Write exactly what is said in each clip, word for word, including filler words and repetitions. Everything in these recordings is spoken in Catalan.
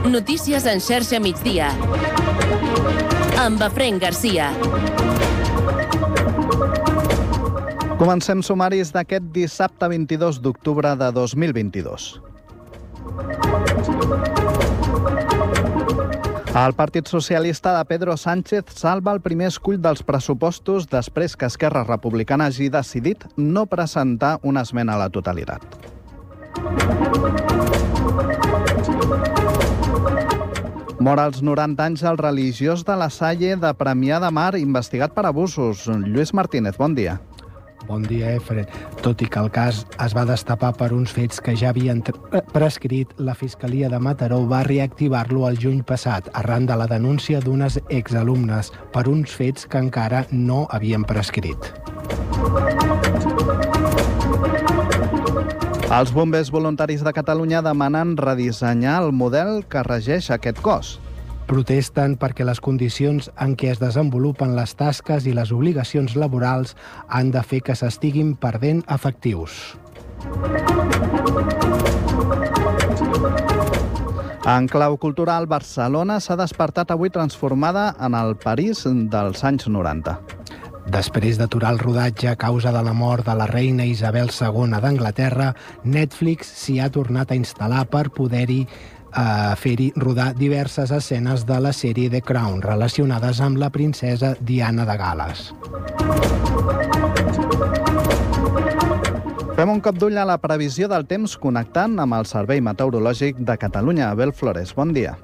Notícies en xarxa migdia. Amb Efraïm Garcia. Comencem sumaris d'aquest dissabte vint-i-dos d'octubre de dos mil vint-i-dos. El Partit Socialista de Pedro Sánchez salva el primer escull dels pressupostos després que Esquerra Republicana hagi decidit no presentar una esmena a la totalitat. Mor als noranta anys el religiós de la Salle de Premià de Mar investigat per abusos. Lluís Martínez, bon dia. Bon dia, Efren. Tot i que el cas es va destapar per uns fets que ja havien prescrit, la Fiscalia de Mataró va reactivar-lo el juny passat, arran de la denúncia d'unes exalumnes per uns fets que encara no havien prescrit. Els bombers voluntaris de Catalunya demanen redissenyar el model que regeix aquest cos. Protesten perquè les condicions en què es desenvolupen les tasques i les obligacions laborals han de fer que s'estiguin perdent efectius. En clau cultural, Barcelona s'ha despertat avui transformada en el París dels anys noranta. Després d'aturar el rodatge a causa de la mort de la reina Isabel segona d'Anglaterra, Netflix s'hi ha tornat a instal·lar per poder-hi a fer-hi rodar diverses escenes de la sèrie The Crown relacionades amb la princesa Diana de Gal·les. Fem un cop d'ull a la previsió del temps connectant amb el Servei Meteorològic de Catalunya. Abel Flores, bon dia.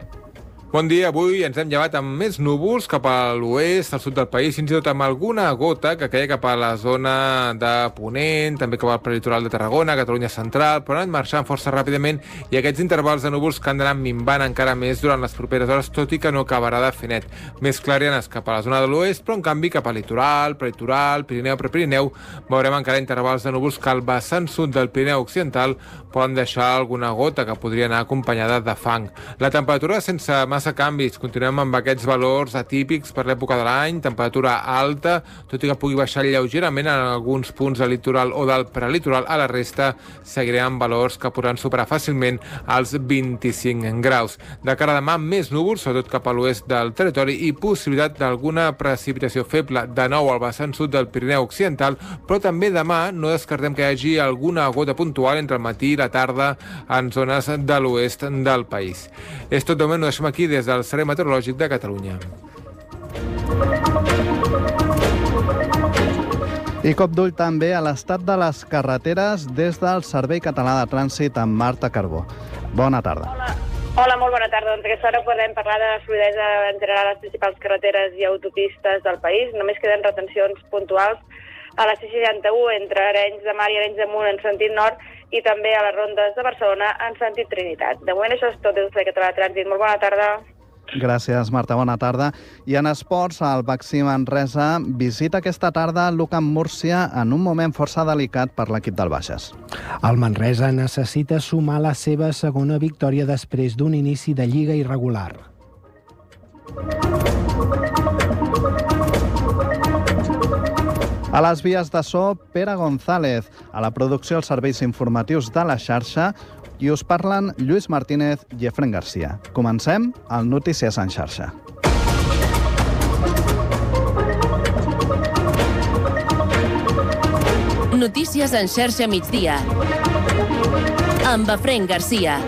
Bon dia, avui ens hem llevat amb més núvols cap a l'oest, al sud del país, fins i tot amb alguna gota que caia cap a la zona de Ponent, també cap al prelitoral de Tarragona, Catalunya central, però han anat marxant força ràpidament i aquests intervals de núvols que han d'anar minvant encara més durant les properes hores, tot i que no acabarà de fer net. Més clarianes cap a la zona de l'oest, però en canvi cap a litoral, prelitoral, Pirineu, Prepirineu, veurem encara intervals de núvols que al vessant sud del Pirineu occidental poden deixar alguna gota que podria anar acompanyada de fang. La temperatura sense massa canvis, continuem amb aquests valors atípics per l'època de l'any, temperatura alta, tot i que pugui baixar lleugerament en alguns punts del litoral o del prelitoral, a la resta seguirem amb valors que podran superar fàcilment els vint-i-cinc graus. De cara a demà, més núvols, sobretot cap a l'oest del territori i possibilitat d'alguna precipitació feble de nou al vessant sud del Pirineu occidental, però també demà no descartem que hi hagi alguna gota puntual entre el matí i la tarda en zones de l'oest del país. És tot de moment, ho deixem aquí des del Servei Meteorològic de Catalunya. I cop d'ull també a l'estat de les carreteres des del Servei Català de Trànsit amb Marta Carbó. Bona tarda. Hola. Hola, molt bona tarda. Doncs aquesta hora podem parlar de fluïdesa en general a les principals carreteres i autopistes del país. Només queden retencions puntuals a la C seixanta-u entre Arenys de Mar i Arenys de Munt en sentit nord i també a les rondes de Barcelona en sentit Trinitat. De moment això és tot des del Servei Català de Trànsit. Molt bona tarda. Gràcies, Marta. Bona tarda. I en esports, el Baxi Manresa visita aquesta tarda l'Ucamp Múrcia en un moment força delicat per l'equip del Baixes. El Manresa necessita sumar la seva segona victòria després d'un inici de lliga irregular. A les vies de so, Pere González. A la producció, els serveis informatius de la xarxa. I us parlen Lluís Martínez i Efraïm Garcia. Comencem el Notícies en xarxa. Notícies en xarxa migdia. Amb Efraïm Garcia.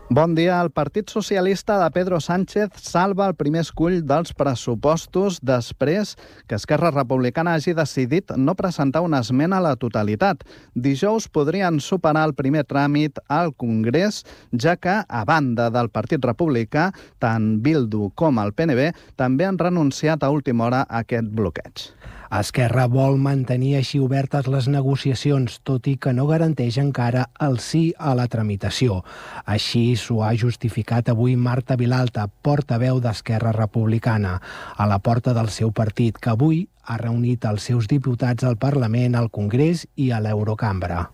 Bon dia. El Partit Socialista de Pedro Sánchez salva el primer escull dels pressupostos després que Esquerra Republicana hagi decidit no presentar una esmena a la totalitat. Dijous podrien superar el primer tràmit al Congrés, ja que, a banda del Partit Republicà, tant Bildu com el P N B també han renunciat a última hora a aquest bloqueig. Esquerra vol mantenir així obertes les negociacions, tot i que no garanteix encara el sí a la tramitació. Així s'ho ha justificat avui Marta Vilalta, portaveu d'Esquerra Republicana, a la porta del seu partit, que avui ha reunit els seus diputats al Parlament, al Congrés i a l'Eurocambra.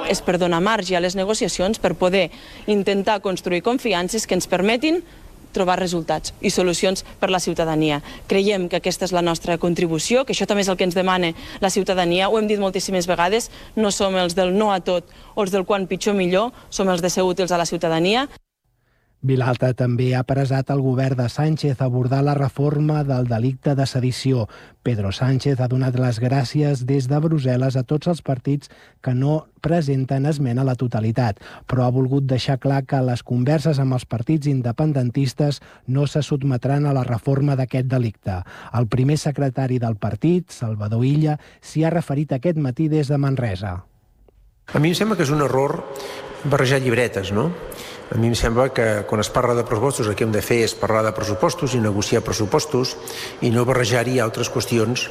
És per donar marge a les negociacions per poder intentar construir confiances que ens permetin trobar resultats i solucions per la ciutadania. Creiem que aquesta és la nostra contribució, que això també és el que ens demana la ciutadania. Ho hem dit moltíssimes vegades, no som els del no a tot o els del quan pitjor millor, som els de ser útils a la ciutadania. Vilalta també ha presat al govern de Sánchez abordar la reforma del delicte de sedició. Pedro Sánchez ha donat les gràcies des de Brussel·les a tots els partits que no presenten esmena a la totalitat, però ha volgut deixar clar que les converses amb els partits independentistes no se sotmetran a la reforma d'aquest delicte. El primer secretari del partit, Salvador Illa, s'hi ha referit aquest matí des de Manresa. A mi em sembla que és un error barrejar llibretes, no? A mi em sembla que quan es parla de pressupostos el que hem de fer és parlar de pressupostos i negociar pressupostos i no barrejar-hi altres qüestions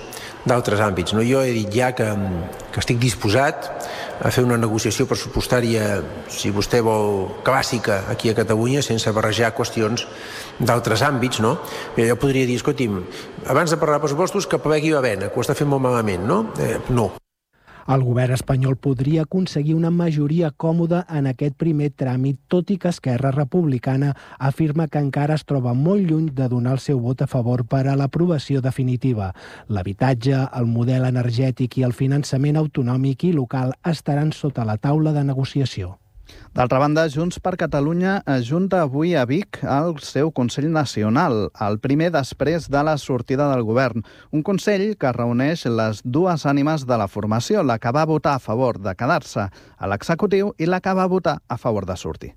d'altres àmbits. No? Jo he dit ja que, que estic disposat a fer una negociació pressupostària, si vostè vol, clàssica aquí a Catalunya, sense barrejar qüestions d'altres àmbits, no? Jo podria dir, escolti'm, abans de parlar de pressupostos que plegui la vena, que ho està fent molt malament, no? Eh, no. El govern espanyol podria aconseguir una majoria còmoda en aquest primer tràmit, tot i que Esquerra Republicana afirma que encara es troba molt lluny de donar el seu vot a favor per a l'aprovació definitiva. L'habitatge, el model energètic i el finançament autonòmic i local estaran sota la taula de negociació. D'altra banda, Junts per Catalunya ajunta avui a Vic al seu Consell Nacional, el primer després de la sortida del govern. Un Consell que reuneix les dues ànimes de la formació, la que va votar a favor de quedar-se a l'executiu i la que va votar a favor de sortir.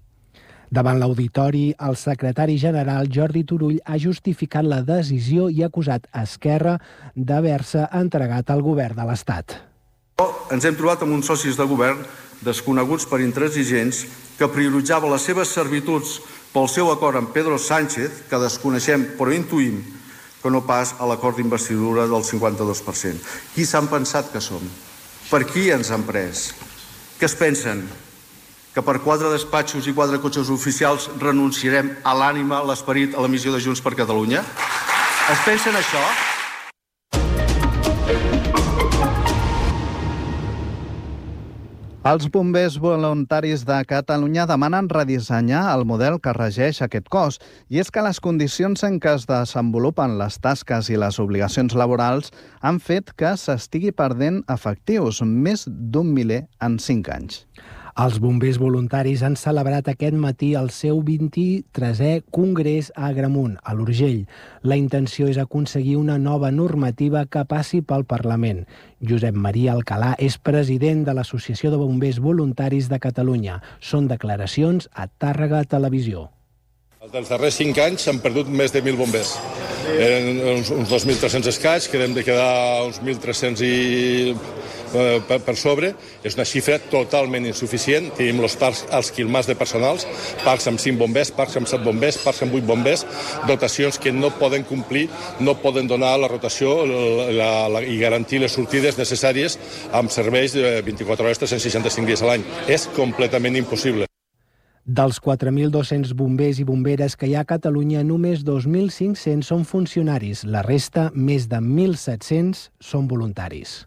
Davant l'auditori, el secretari general Jordi Turull ha justificat la decisió i ha acusat a Esquerra d'haver-se entregat al govern de l'Estat. Ens hem trobat amb uns socis de govern desconeguts per intransigents que prioritzava les seves servituds pel seu acord amb Pedro Sánchez, que desconeixem però intuïm que no pas a l'acord d'investidura del cinquanta-dos per cent. Qui s'han pensat que som? Per qui ens han pres? Què es pensen? Que per quatre despatxos i quatre cotxes oficials renunciarem a l'ànima, a l'esperit, a la missió de Junts per Catalunya? Es pensen això? Els bombers voluntaris de Catalunya demanen redissenyar el model que regeix aquest cos, i és que les condicions en què es desenvolupen les tasques i les obligacions laborals han fet que s'estigui perdent efectius, més d'un miler en cinc anys. Els bombers voluntaris han celebrat aquest matí el seu vint-i-tresè Congrés a Agramunt, a l'Urgell. La intenció és aconseguir una nova normativa que passi pel Parlament. Josep Maria Alcalà és president de l'Associació de Bombers Voluntaris de Catalunya. Són declaracions a Tàrrega Televisió. Els darrers cinc anys s'han perdut més de mil bombers. Eren uns, uns dos mil tres-cents escaig, que hem de quedar uns mil tres-cents i, eh, per, per sobre. És una xifra totalment insuficient. Tenim els parcs als quilmars de personals, parcs amb cinc bombers, parcs amb set bombers, parcs amb vuit bombers, dotacions que no poden complir, no poden donar la rotació la, la, i garantir les sortides necessàries amb serveis de vint-i-quatre hores, tres cents seixanta-cinc dies a l'any. És completament impossible. Dels quatre mil dos-cents bombers i bomberes que hi ha a Catalunya, només dos mil cinc-cents són funcionaris. La resta, més de mil set-cents, són voluntaris.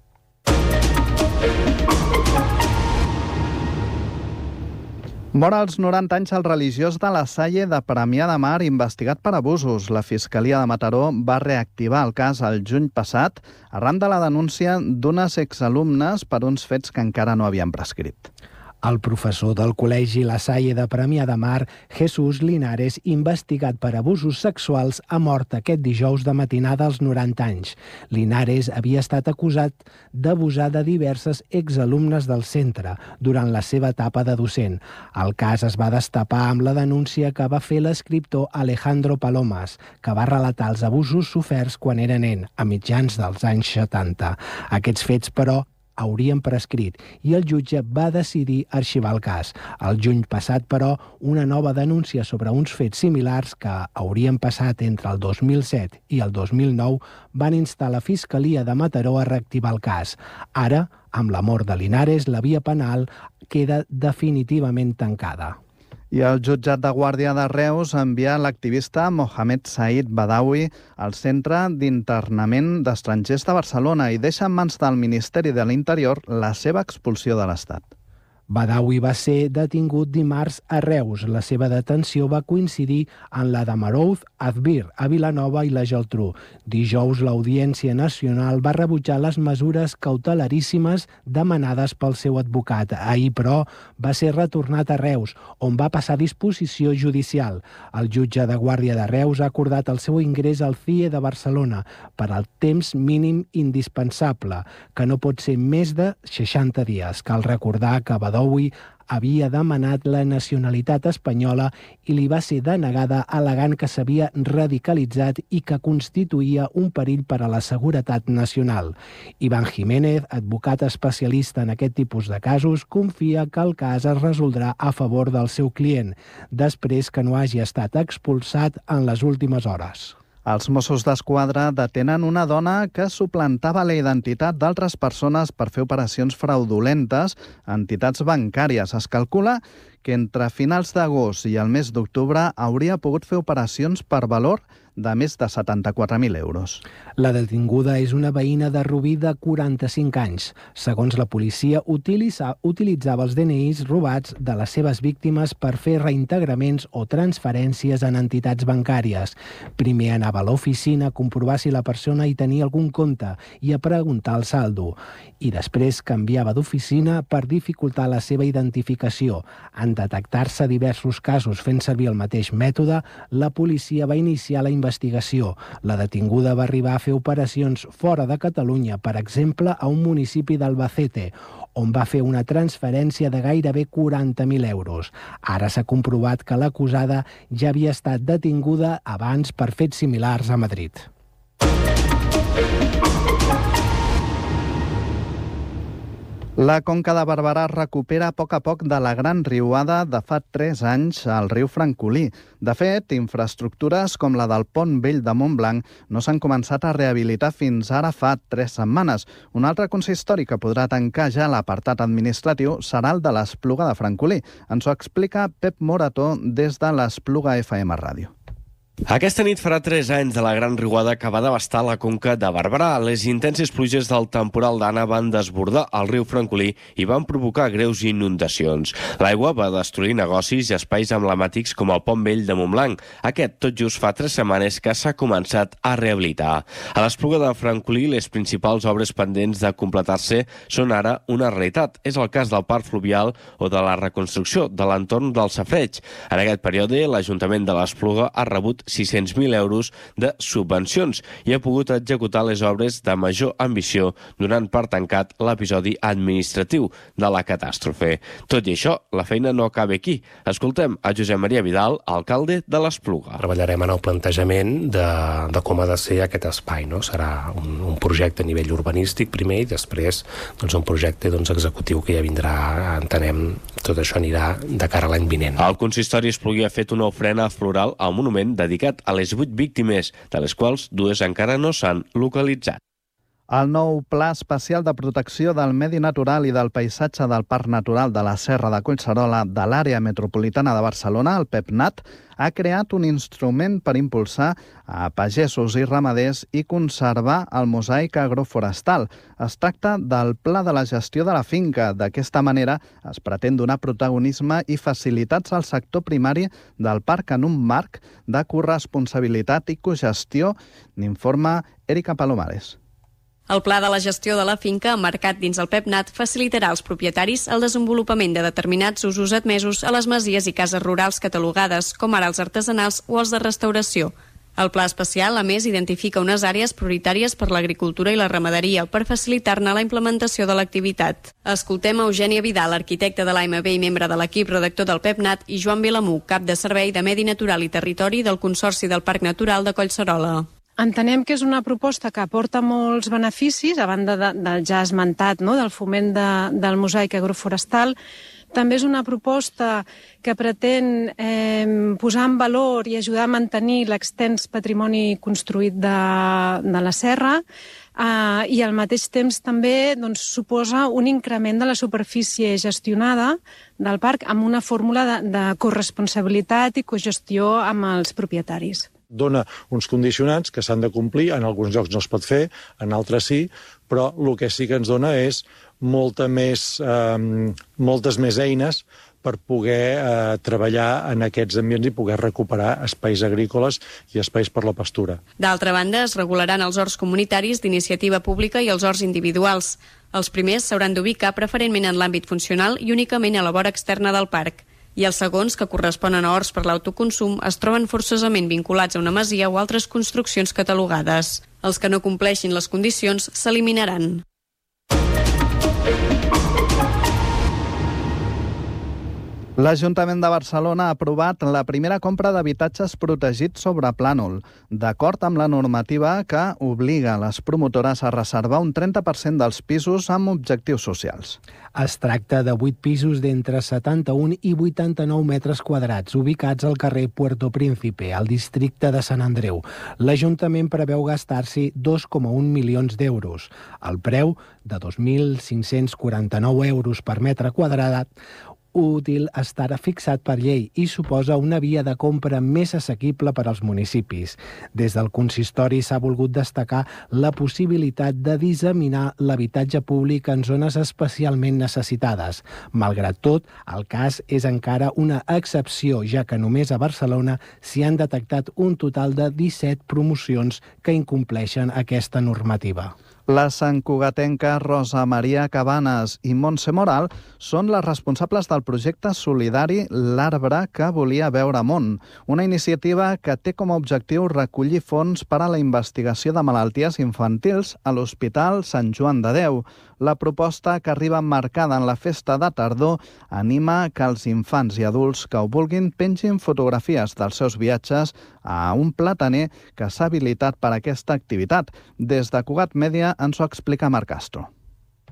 Mor als noranta anys el religiós de la Salle de Premià de Mar investigat per abusos. La Fiscalia de Mataró va reactivar el cas el juny passat arran de la denúncia d'unes exalumnes per uns fets que encara no havien prescrit. El professor del Col·legi La Salle de Premià de Mar, Jesús Linares, investigat per abusos sexuals, ha mort aquest dijous de matinada als noranta anys. Linares havia estat acusat d'abusar de diverses exalumnes del centre durant la seva etapa de docent. El cas es va destapar amb la denúncia que va fer l'escriptor Alejandro Palomas, que va relatar els abusos soferts quan era nen, a mitjans dels anys setanta. Aquests fets, però, haurien prescrit i el jutge va decidir arxivar el cas. El juny passat, però, una nova denúncia sobre uns fets similars que haurien passat entre el dos mil set i el dos mil nou van instar la Fiscalia de Mataró a reactivar el cas. Ara, amb la mort de Linares, la via penal queda definitivament tancada. I el jutjat de Guàrdia de Reus envia l'activista Mohamed Said Badawi al Centre d'Internament d'Estrangers de Barcelona i deixa en mans del Ministeri de l'Interior la seva expulsió de l'Estat. Badawi va ser detingut dimarts a Reus. La seva detenció va coincidir en la de Marouz, Azbir, a Vilanova i la Geltrú. Dijous, l'Audiència Nacional va rebutjar les mesures cautelaríssimes demanades pel seu advocat. Ahir, però, va ser retornat a Reus, on va passar a disposició judicial. El jutge de Guàrdia de Reus ha acordat el seu ingrés al C I E de Barcelona per al temps mínim indispensable, que no pot ser més de seixanta dies. Cal recordar que Badawi havia demanat la nacionalitat espanyola i li va ser denegada al·legant que s'havia radicalitzat i que constituïa un perill per a la seguretat nacional. Iván Jiménez, advocat especialista en aquest tipus de casos, confia que el cas es resoldrà a favor del seu client, després que no hagi estat expulsat en les últimes hores. Els Mossos d'Esquadra detenen una dona que suplantava la identitat d'altres persones per fer operacions fraudulentes a entitats bancàries. Es calcula que entre finals d'agost i el mes d'octubre hauria pogut fer operacions per valor de més de setanta-quatre mil euros. La detinguda és una veïna de Rubí de quaranta-cinc anys. Segons la policia, utilitza, utilitzava els D N Is robats de les seves víctimes per fer reintegraments o transferències en entitats bancàries. Primer anava a l'oficina a comprovar si la persona hi tenia algun compte i a preguntar el saldo. I després canviava d'oficina per dificultar la seva identificació. En detectar-se diversos casos fent servir el mateix mètode, la policia va iniciar la investigació. La detinguda va arribar a fer operacions fora de Catalunya, per exemple, a un municipi d'Albacete, on va fer una transferència de gairebé quaranta mil euros. Ara s'ha comprovat que l'acusada ja havia estat detinguda abans per fets similars a Madrid. La Conca de Barberà recupera a poc a poc de la gran riuada de fa tres anys al riu Francolí. De fet, infraestructures com la del Pont Vell de Montblanc no s'han començat a rehabilitar fins ara fa tres setmanes. Un altre consistori que podrà tancar ja l'apartat administratiu serà el de l'Espluga de Francolí. Ens ho explica Pep Morató des de l'Espluga F M Ràdio. Aquesta nit farà tres anys de la gran riuada que va devastar la Conca de Barberà. Les intenses pluges del temporal d'Anna van desbordar el riu Francolí i van provocar greus inundacions. L'aigua va destruir negocis i espais emblemàtics com el Pont Vell de Montblanc. Aquest tot just fa tres setmanes que s'ha començat a rehabilitar. A l'Espluga de Francolí, les principals obres pendents de completar-se són ara una realitat. És el cas del parc fluvial o de la reconstrucció de l'entorn del safareig. En aquest període, l'Ajuntament de l'Espluga ha rebut sis-cents mil euros de subvencions i ha pogut executar les obres de major ambició, donant per tancat l'episodi administratiu de la catàstrofe. Tot i això, la feina no acaba aquí. Escoltem a Josep Maria Vidal, alcalde de l'Espluga. Treballarem en el plantejament de, de com ha de ser aquest espai. No? Serà un, un projecte a nivell urbanístic primer i després doncs, un projecte doncs, executiu que ja vindrà, entenem, tot això anirà de cara a l'any vinent. El consistori Espluguí ha fet una ofrena floral al monument dedicat a les vuit víctimes, de les quals dues encara no s'han localitzat. El nou Pla Especial de Protecció del Medi Natural i del Paisatge del Parc Natural de la Serra de Collserola de l'Àrea Metropolitana de Barcelona, el PEPNAT, ha creat un instrument per impulsar a pagesos i ramaders i conservar el mosaic agroforestal. Es tracta del Pla de la Gestió de la Finca. D'aquesta manera es pretén donar protagonisme i facilitats al sector primari del parc en un marc de corresponsabilitat i cogestió, n'informa Erika Palomares. El Pla de la Gestió de la Finca, emmarcat dins el PEPNAT, facilitarà als propietaris el desenvolupament de determinats usos admesos a les masies i cases rurals catalogades, com ara els artesanals o els de restauració. El Pla Especial, a més, identifica unes àrees prioritàries per l'agricultura i la ramaderia per facilitar-ne la implementació de l'activitat. Escoltem a Eugènia Vidal, arquitecte de l'A M B i membre de l'equip redactor del PEPNAT, i Joan Vilamú, cap de Servei de Medi Natural i Territori del Consorci del Parc Natural de Collserola. Entenem que és una proposta que aporta molts beneficis, a banda de, del ja esmentat, no?, del foment de, del mosaic agroforestal. També és una proposta que pretén eh, posar en valor i ajudar a mantenir l'extens patrimoni construït de, de la serra eh, i al mateix temps també doncs, suposa un increment de la superfície gestionada del parc amb una fórmula de, de corresponsabilitat i cogestió amb els propietaris. Dona uns condicionants que s'han de complir, en alguns llocs no es pot fer, en altres sí, però el que sí que ens dona és molta més, eh, moltes més eines per poder eh, treballar en aquests ambients i poder recuperar espais agrícoles i espais per la pastura. D'altra banda, es regularan els horts comunitaris d'iniciativa pública i els horts individuals. Els primers s'hauran d'ubicar preferentment en l'àmbit funcional i únicament a la vora externa del parc. I els segons, que corresponen a horts per l'autoconsum, es troben forçosament vinculats a una masia o altres construccions catalogades. Els que no compleixin les condicions s'eliminaran. L'Ajuntament de Barcelona ha aprovat la primera compra d'habitatges protegits sobre plànol, d'acord amb la normativa que obliga les promotores a reservar un trenta per cent dels pisos amb objectius socials. Es tracta de vuit pisos d'entre setanta-un i vuitanta-nou metres quadrats, ubicats al carrer Puerto Príncipe, al districte de Sant Andreu. L'Ajuntament preveu gastar-s'hi dos coma un milions d'euros. El preu, de dos mil cinc-cents quaranta-nou euros per metre quadrat, útil estarà fixat per llei i suposa una via de compra més assequible per als municipis. Des del consistori s'ha volgut destacar la possibilitat de disseminar l'habitatge públic en zones especialment necessitades. Malgrat tot, el cas és encara una excepció, ja que només a Barcelona s'hi han detectat un total de disset promocions que incompleixen aquesta normativa. La santcugatenca Rosa Maria Cabanes i Montse Moral són les responsables del projecte solidari L'Arbre que volia veure món, una iniciativa que té com a objectiu recollir fons per a la investigació de malalties infantils a l'Hospital Sant Joan de Déu. La proposta, que arriba emmarcada en la festa de tardor, anima que els infants i adults que ho vulguin pengin fotografies dels seus viatges a un plataner que s'ha habilitat per a aquesta activitat. Des de Cugat Mèdia ens ho explica Marc Castro.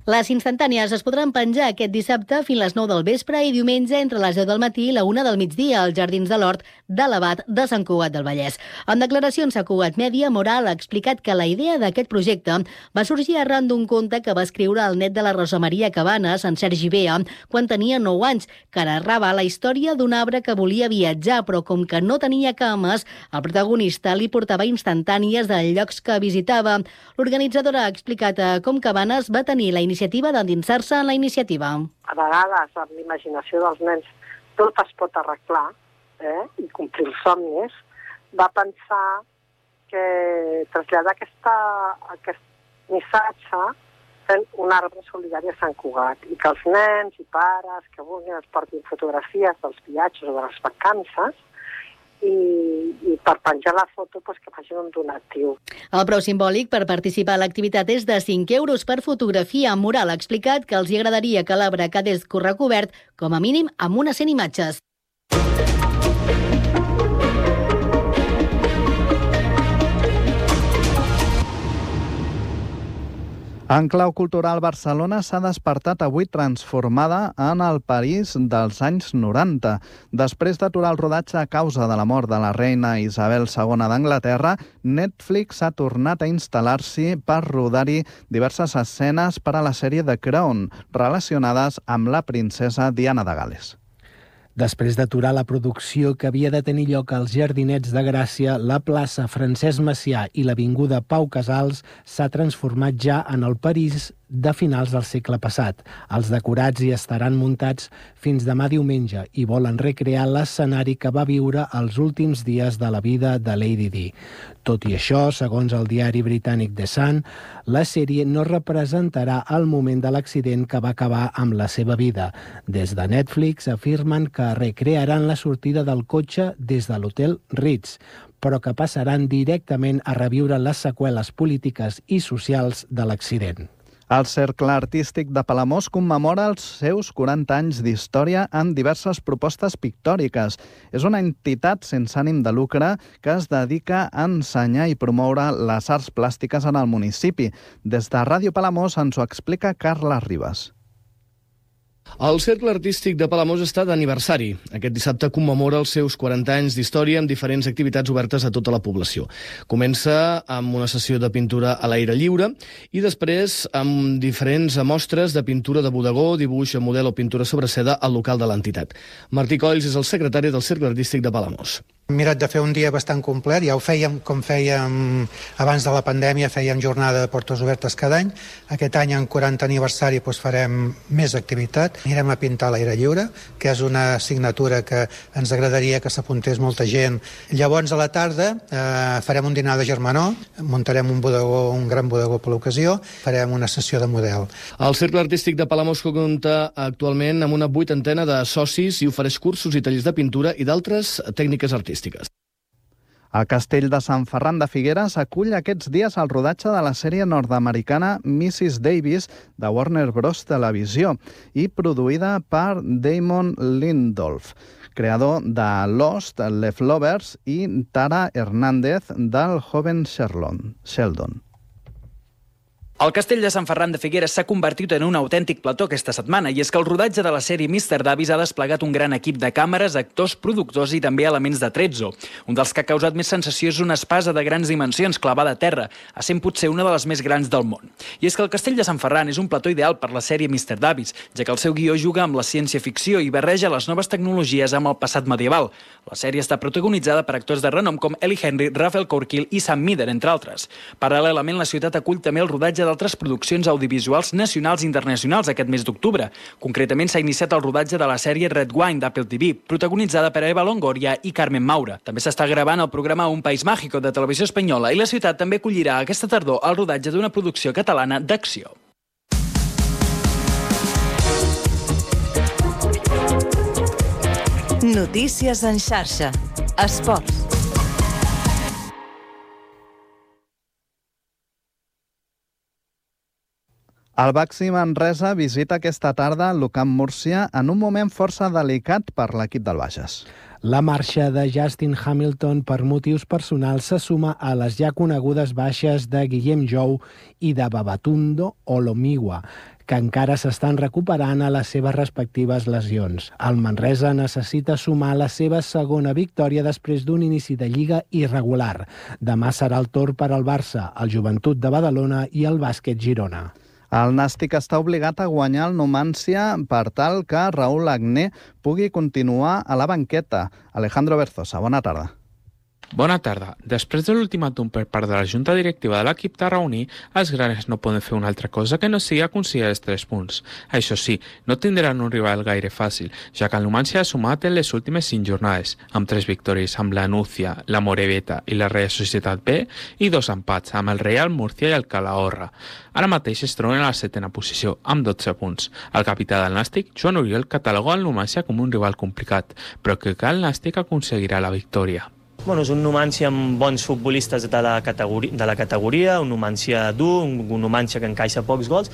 Les instantànies es podran penjar aquest dissabte fins a les nou del vespre i diumenge entre les deu del matí i la una del migdia als Jardins de l'Hort de l'Abat de Sant Cugat del Vallès. En declaracions a Cugat Mèdia, Moral ha explicat que la idea d'aquest projecte va sorgir arran d'un conte que va escriure el net de la Rosa Maria Cabanes, en Sergi Bea, quan tenia nou anys, que narrava la història d'un arbre que volia viatjar, però com que no tenia cames, el protagonista li portava instantànies dels llocs que visitava. L'organitzadora ha explicat com Cabanes va tenir la iniciativa d'endinsar-se en la iniciativa. A vegades, amb l'imaginació dels nens, tot es pot arreglar eh, i complir els somnis. Va pensar que traslladar aquesta, aquest missatge fent un arbre solidari a Sant Cugat i que els nens i pares que vulguin es portin fotografies dels viatges o de les vacances i, i per penjar la foto pues, que facin un donatiu. El preu simbòlic per participar a l'activitat és de cinc euros per fotografia. Moral ha explicat que els hi agradaria que l'arbre quedés recobert com a mínim amb unes cent imatges. En clau cultural, Barcelona s'ha despertat avui transformada en el París dels anys noranta. Després d'aturar el rodatge a causa de la mort de la reina Isabel segona d'Anglaterra, Netflix ha tornat a instal·lar-s'hi per rodar-hi diverses escenes per a la sèrie The Crown, relacionades amb la princesa Diana de Gal·les. Després d'aturar la producció que havia de tenir lloc als Jardinets de Gràcia, la plaça Francesc Macià i l'avinguda Pau Casals s'ha transformat ja en el París de finals del segle passat. Els decorats hi estaran muntats fins demà diumenge i volen recrear l'escenari que va viure els últims dies de la vida de Lady Di. Tot i això, segons el diari britànic The Sun, la sèrie no representarà el moment de l'accident que va acabar amb la seva vida. Des de Netflix afirmen que recrearan la sortida del cotxe des de l'hotel Ritz, però que passaran directament a reviure les seqüeles polítiques i socials de l'accident. El Cercle Artístic de Palamós commemora els seus quaranta anys d'història amb diverses propostes pictòriques. És una entitat sense ànim de lucre que es dedica a ensenyar i promoure les arts plàstiques en el municipi. Des de Ràdio Palamós ens ho explica Carles Ribas. El Cercle Artístic de Palamós està d'aniversari. Aquest dissabte commemora els seus quaranta anys d'història amb diferents activitats obertes a tota la població. Comença amb una sessió de pintura a l'aire lliure i després amb diferents mostres de pintura de bodegó, dibuix a model o pintura sobre seda al local de l'entitat. Martí Colls és el secretari del Cercle Artístic de Palamós. Hem mirat de fer un dia bastant complet, ja ho fèiem com fèiem abans de la pandèmia, fèiem jornada de portes obertes cada any. Aquest any, en quaranta aniversari, doncs farem més activitat. Anirem a pintar a l'aire lliure, que és una assignatura que ens agradaria que s'apuntés molta gent. Llavors, a la tarda, eh, farem un dinar de germanor, muntarem un bodegó, un gran bodegó per l'ocasió, farem una sessió de model. El Cercle Artístic de Palamós compta actualment amb una vuitantena de socis i ofereix cursos i tallers de pintura i d'altres tècniques artístiques. El castell de Sant Ferran de Figueres acull aquests dies el rodatge de la sèrie nord-americana missus Davis de Warner Bros. Televisió i produïda per Damon Lindelof, creador de Lost, Leftovers i Tara Hernández del Joven Sheldon. El castell de Sant Ferran de Figueres s'ha convertit en un autèntic plató aquesta setmana, i és que el rodatge de la sèrie mister Davis ha desplegat un gran equip de càmeres, actors, productors i també elements de trezzo. Un dels que ha causat més sensació és una espasa de grans dimensions clavada a terra, essent potser una de les més grans del món. I és que el castell de Sant Ferran és un plató ideal per la sèrie mister Davis, ja que el seu guió juga amb la ciència-ficció i barreja les noves tecnologies amb el passat medieval. La sèrie està protagonitzada per actors de renom com Ellie Henry, Raphael Corkill i Sam Meader, entre altres. Paral·lelament, la ciutat acull també el rodatge d'altres produccions audiovisuals nacionals i internacionals aquest mes d'octubre. Concretament, s'ha iniciat el rodatge de la sèrie Red Wine d'Apple T V, protagonitzada per Eva Longoria i Carmen Maura. També s'està gravant el programa Un País Mágico de Televisió Espanyola i la ciutat també acollirà aquesta tardor el rodatge d'una producció catalana d'acció. Notícies en xarxa. Esports. El Baxi Manresa visita aquesta tarda l'Ucamp Múrcia en un moment força delicat per l'equip del Bages. La marxa de Justin Hamilton per motius personals se suma a les ja conegudes baixes de Guillem Jou i de Babatunde Olomiwa, que encara s'estan recuperant a les seves respectives lesions. El Manresa necessita sumar la seva segona victòria després d'un inici de Lliga irregular. Demà serà el torn per al Barça, el Joventut de Badalona i el Bàsquet Girona. El Nàstic està obligat a guanyar el Numancia per tal que Raúl Agné pugui continuar a la banqueta. Alejandro Berzosa, bona tarda. Bona tarda. Després de l'ultimàtum per part de la Junta Directiva de l'equip tarragoní, els granes no poden fer una altra cosa que no sigui aconseguir els tres punts. Això sí, no tindran un rival gaire fàcil, ja que el Numancia ha sumat en les últimes cinc jornades, amb tres victòries amb la Núcia, la Moreveta i la Real Societat B, i dos empats amb el Real Murcia i el Calahorra. Ara mateix es troben a la setena posició, amb dotze punts. El capità del Nàstic, Joan Oriol, cataloga el Numancia com un rival complicat, però que el Nàstic aconseguirà la victòria. Bueno, és un Numancia amb bons futbolistes de la categoria, de la categoria un Numancia dur, un, un Numancia que encaixa pocs gols,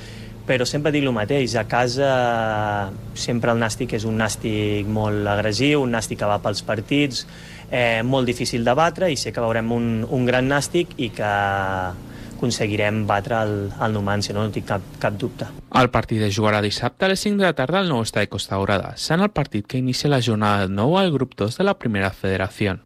però sempre dic el mateix, a casa sempre el Nàstic és un Nàstic molt agressiu, un Nàstic que va pels partits, eh, molt difícil de batre, i sé que veurem un, un gran Nàstic i que aconseguirem batre el, el Numancia, no, no tinc cap, cap dubte. El partit es jugarà dissabte a les cinc de la tarda al nou estadi Costa Daurada, sent el partit que inicia la jornada nou al grup dos de la Primera Federació.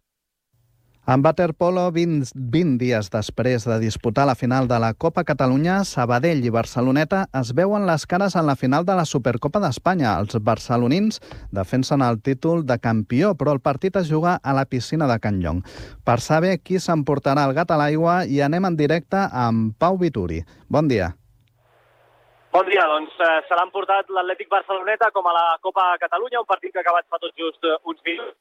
En waterpolo, vint, vint dies després de disputar la final de la Copa Catalunya, Sabadell i Barceloneta es veuen les cares en la final de la Supercopa d'Espanya. Els barcelonins defensen el títol de campió, però el partit es juga a la piscina de Can Llong. Per saber qui s'emportarà el gat a l'aigua, hi anem en directe amb Pau Vituri. Bon dia. Bon dia, doncs eh, se l'ha emportat l'Atlètic Barceloneta com a la Copa Catalunya, un partit que ha acabat fa tot just eh, uns minuts.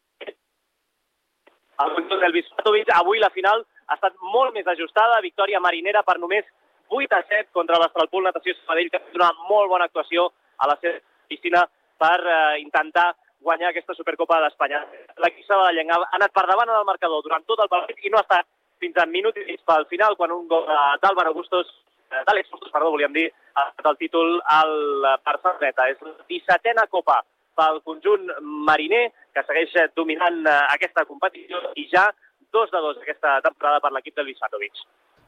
El conjunt del Vispatovic, avui la final ha estat molt més ajustada, victòria marinera per només vuit a set contra l'Astralpool Natació Sabadell, que ha fet una molt bona actuació a la seva piscina per eh, intentar guanyar aquesta Supercopa d'Espanya. L'equip sabadellenc ha anat per davant en el marcador durant tot el partit i no ha estat fins a minut i mig pel final, quan un gol d'Àlvaro Bustos, d'Àlex Bustos, perdó, volíem dir, ha estat el títol al Barceloneta. És la dissetena Copa pel conjunt mariner, que segueix dominant aquesta competició, i ja dos de dos aquesta temporada per l'equip del Vispatovic.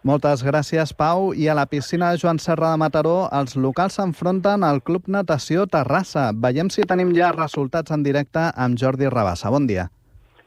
Moltes gràcies, Pau. I a la piscina de Joan Serra de Mataró, els locals s'enfronten al Club Natació Terrassa. Veiem si tenim ja resultats en directe amb Jordi Rabassa. Bon dia.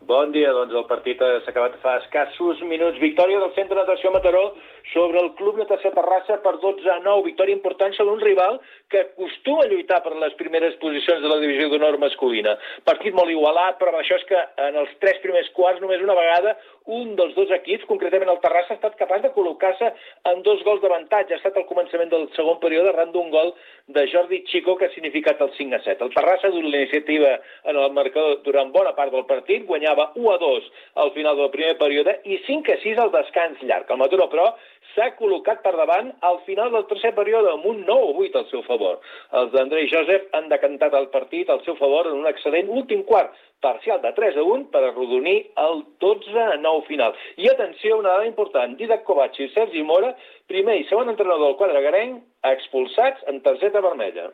Bon dia, doncs el partit s'ha acabat fa escassos minuts. Victòria del Centre de Natació Mataró sobre el Club Natació Terrassa per dotze a nou. Victòria important sobre un rival que acostuma a lluitar per les primeres posicions de la divisió d'honor masculina. Partit molt igualat, però això és que en els tres primers quarts només una vegada un dels dos equips, concretament el Terrassa, ha estat capaç de col·locar-se en dos gols d'avantatge. Ha estat al començament del segon període arran d'un gol de Jordi Chico que ha significat el cinc a set. El Terrassa ha dut la iniciativa en el marcador durant bona part del partit, guanyava u a dos al final del primer període i cinc a sis al descans llarg. El Mataró, però, s'ha col·locat per davant al final del tercer període amb un nou a vuit al seu favor. Els d'Andrei Joseph han decantat el partit al seu favor en un excel·lent últim quart, parcial de tres a un per arrodonir el dotze a nou final. I atenció, una dada important, Didac Kovacs i Sergi Mora, primer i segon entrenador del quadre garenc, expulsats en targeta vermella.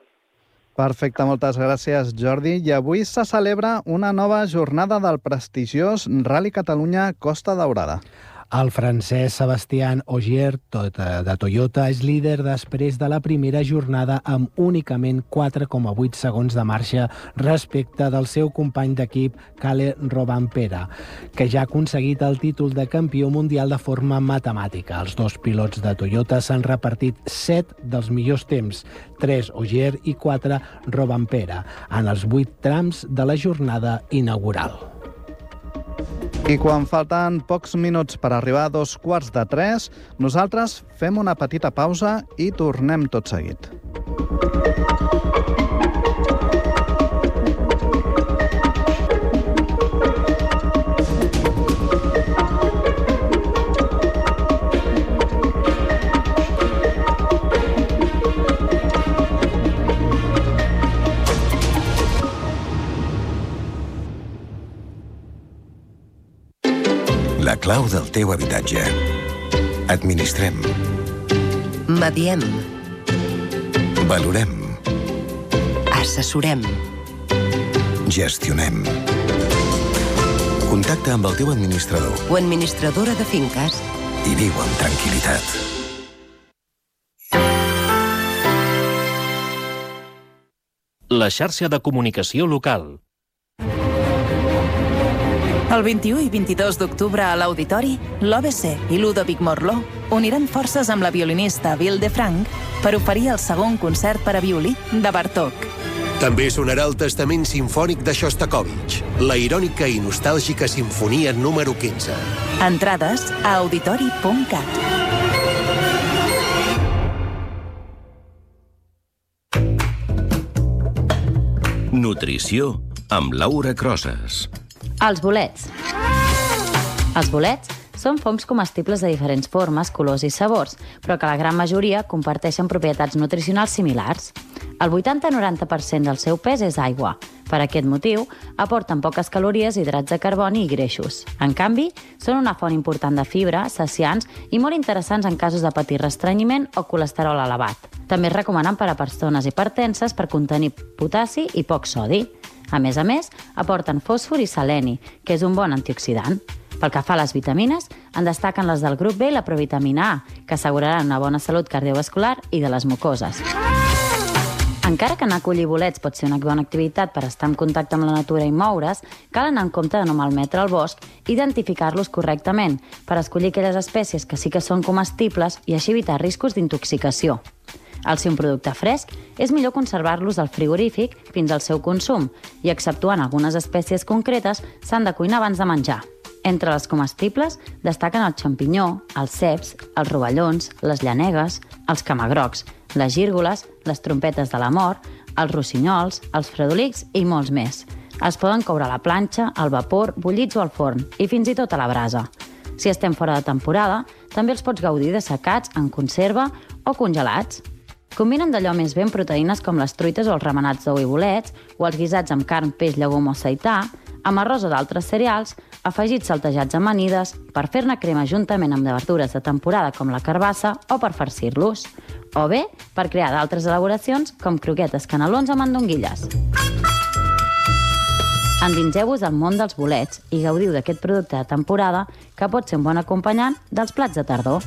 Perfecte, moltes gràcies, Jordi. I avui se celebra una nova jornada del prestigiós Rally Catalunya Costa Daurada. El francès Sebastián Ogier, de Toyota, és líder després de la primera jornada amb únicament quatre coma vuit segons de marxa respecte del seu company d'equip, Kalle Rovanpera, que ja ha aconseguit el títol de campió mundial de forma matemàtica. Els dos pilots de Toyota s'han repartit set dels millors temps, tres Ogier i quatre Rovanpera, en els vuit trams de la jornada inaugural. I quan falten pocs minuts per arribar a dos quarts de tres, nosaltres fem una petita pausa i tornem tot seguit. La clau del teu habitatge. Administrem. Mediem. Valorem. Assessorem. Gestionem. Contacta amb el teu administrador o administradora de finques i viu amb tranquil·litat. La xarxa de comunicació local. El vint-i-u i vint-i-dos d'octubre a l'Auditori, l'O B C i Ludovic Morló uniran forces amb la violinista Vilde Frank per oferir el segon concert per a violí de Bartók. També sonarà el Testament Simfònic de Shostakovich, la irònica i nostàlgica sinfonia número quinze. Entrades a auditori punt cat. Nutrició amb Laura Crosas. Els bolets. Els bolets són fongs comestibles de diferents formes, colors i sabors, però que la gran majoria comparteixen propietats nutricionals similars. El vuitanta a noranta per cent del seu pes és aigua. Per aquest motiu, aporten poques calories, hidrats de carboni i greixos. En canvi, són una font important de fibra, saciants i molt interessants en casos de patir restrenyiment o colesterol elevat. També es recomanen per a persones hipertenses per contenir potassi i poc sodi. A més a més, aporten fòsfor i seleni, que és un bon antioxidant. Pel que fa a les vitamines, en destaquen les del grup B i la provitamina A, que asseguraran una bona salut cardiovascular i de les mucoses. Encara que anar a collir bolets pot ser una bona activitat per estar en contacte amb la natura i moure's, cal anar en compte de no malmetre el bosc i identificar-los correctament per escollir aquelles espècies que sí que són comestibles i així evitar riscos d'intoxicació. Al ser un producte fresc, és millor conservar-los al frigorífic fins al seu consum i, exceptuant algunes espècies concretes, s'han de cuinar abans de menjar. Entre les comestibles destaquen el xampinyó, els ceps, els rovellons, les llanegues, els camagrocs, les gírgoles, les trompetes de la mort, els rossinyols, els fredolics i molts més. Es poden coure a la planxa, al vapor, bullits o al forn, i fins i tot a la brasa. Si estem fora de temporada, també els pots gaudir dessecats, en conserva o congelats. Combinen d'allò més ben proteïnes com les truites o els remenats d'ou i bolets, o els guisats amb carn, peix, llegum o seità, amb arròs o d'altres cereals, afegits saltejats amb amanides, per fer-ne crema juntament amb verdures de temporada com la carbassa o per farcir-los, o bé per crear d'altres elaboracions com croquetes canelons amb mandonguilles. Endinseu-vos al món dels bolets i gaudiu d'aquest producte de temporada que pot ser un bon acompanyant dels plats de tardor.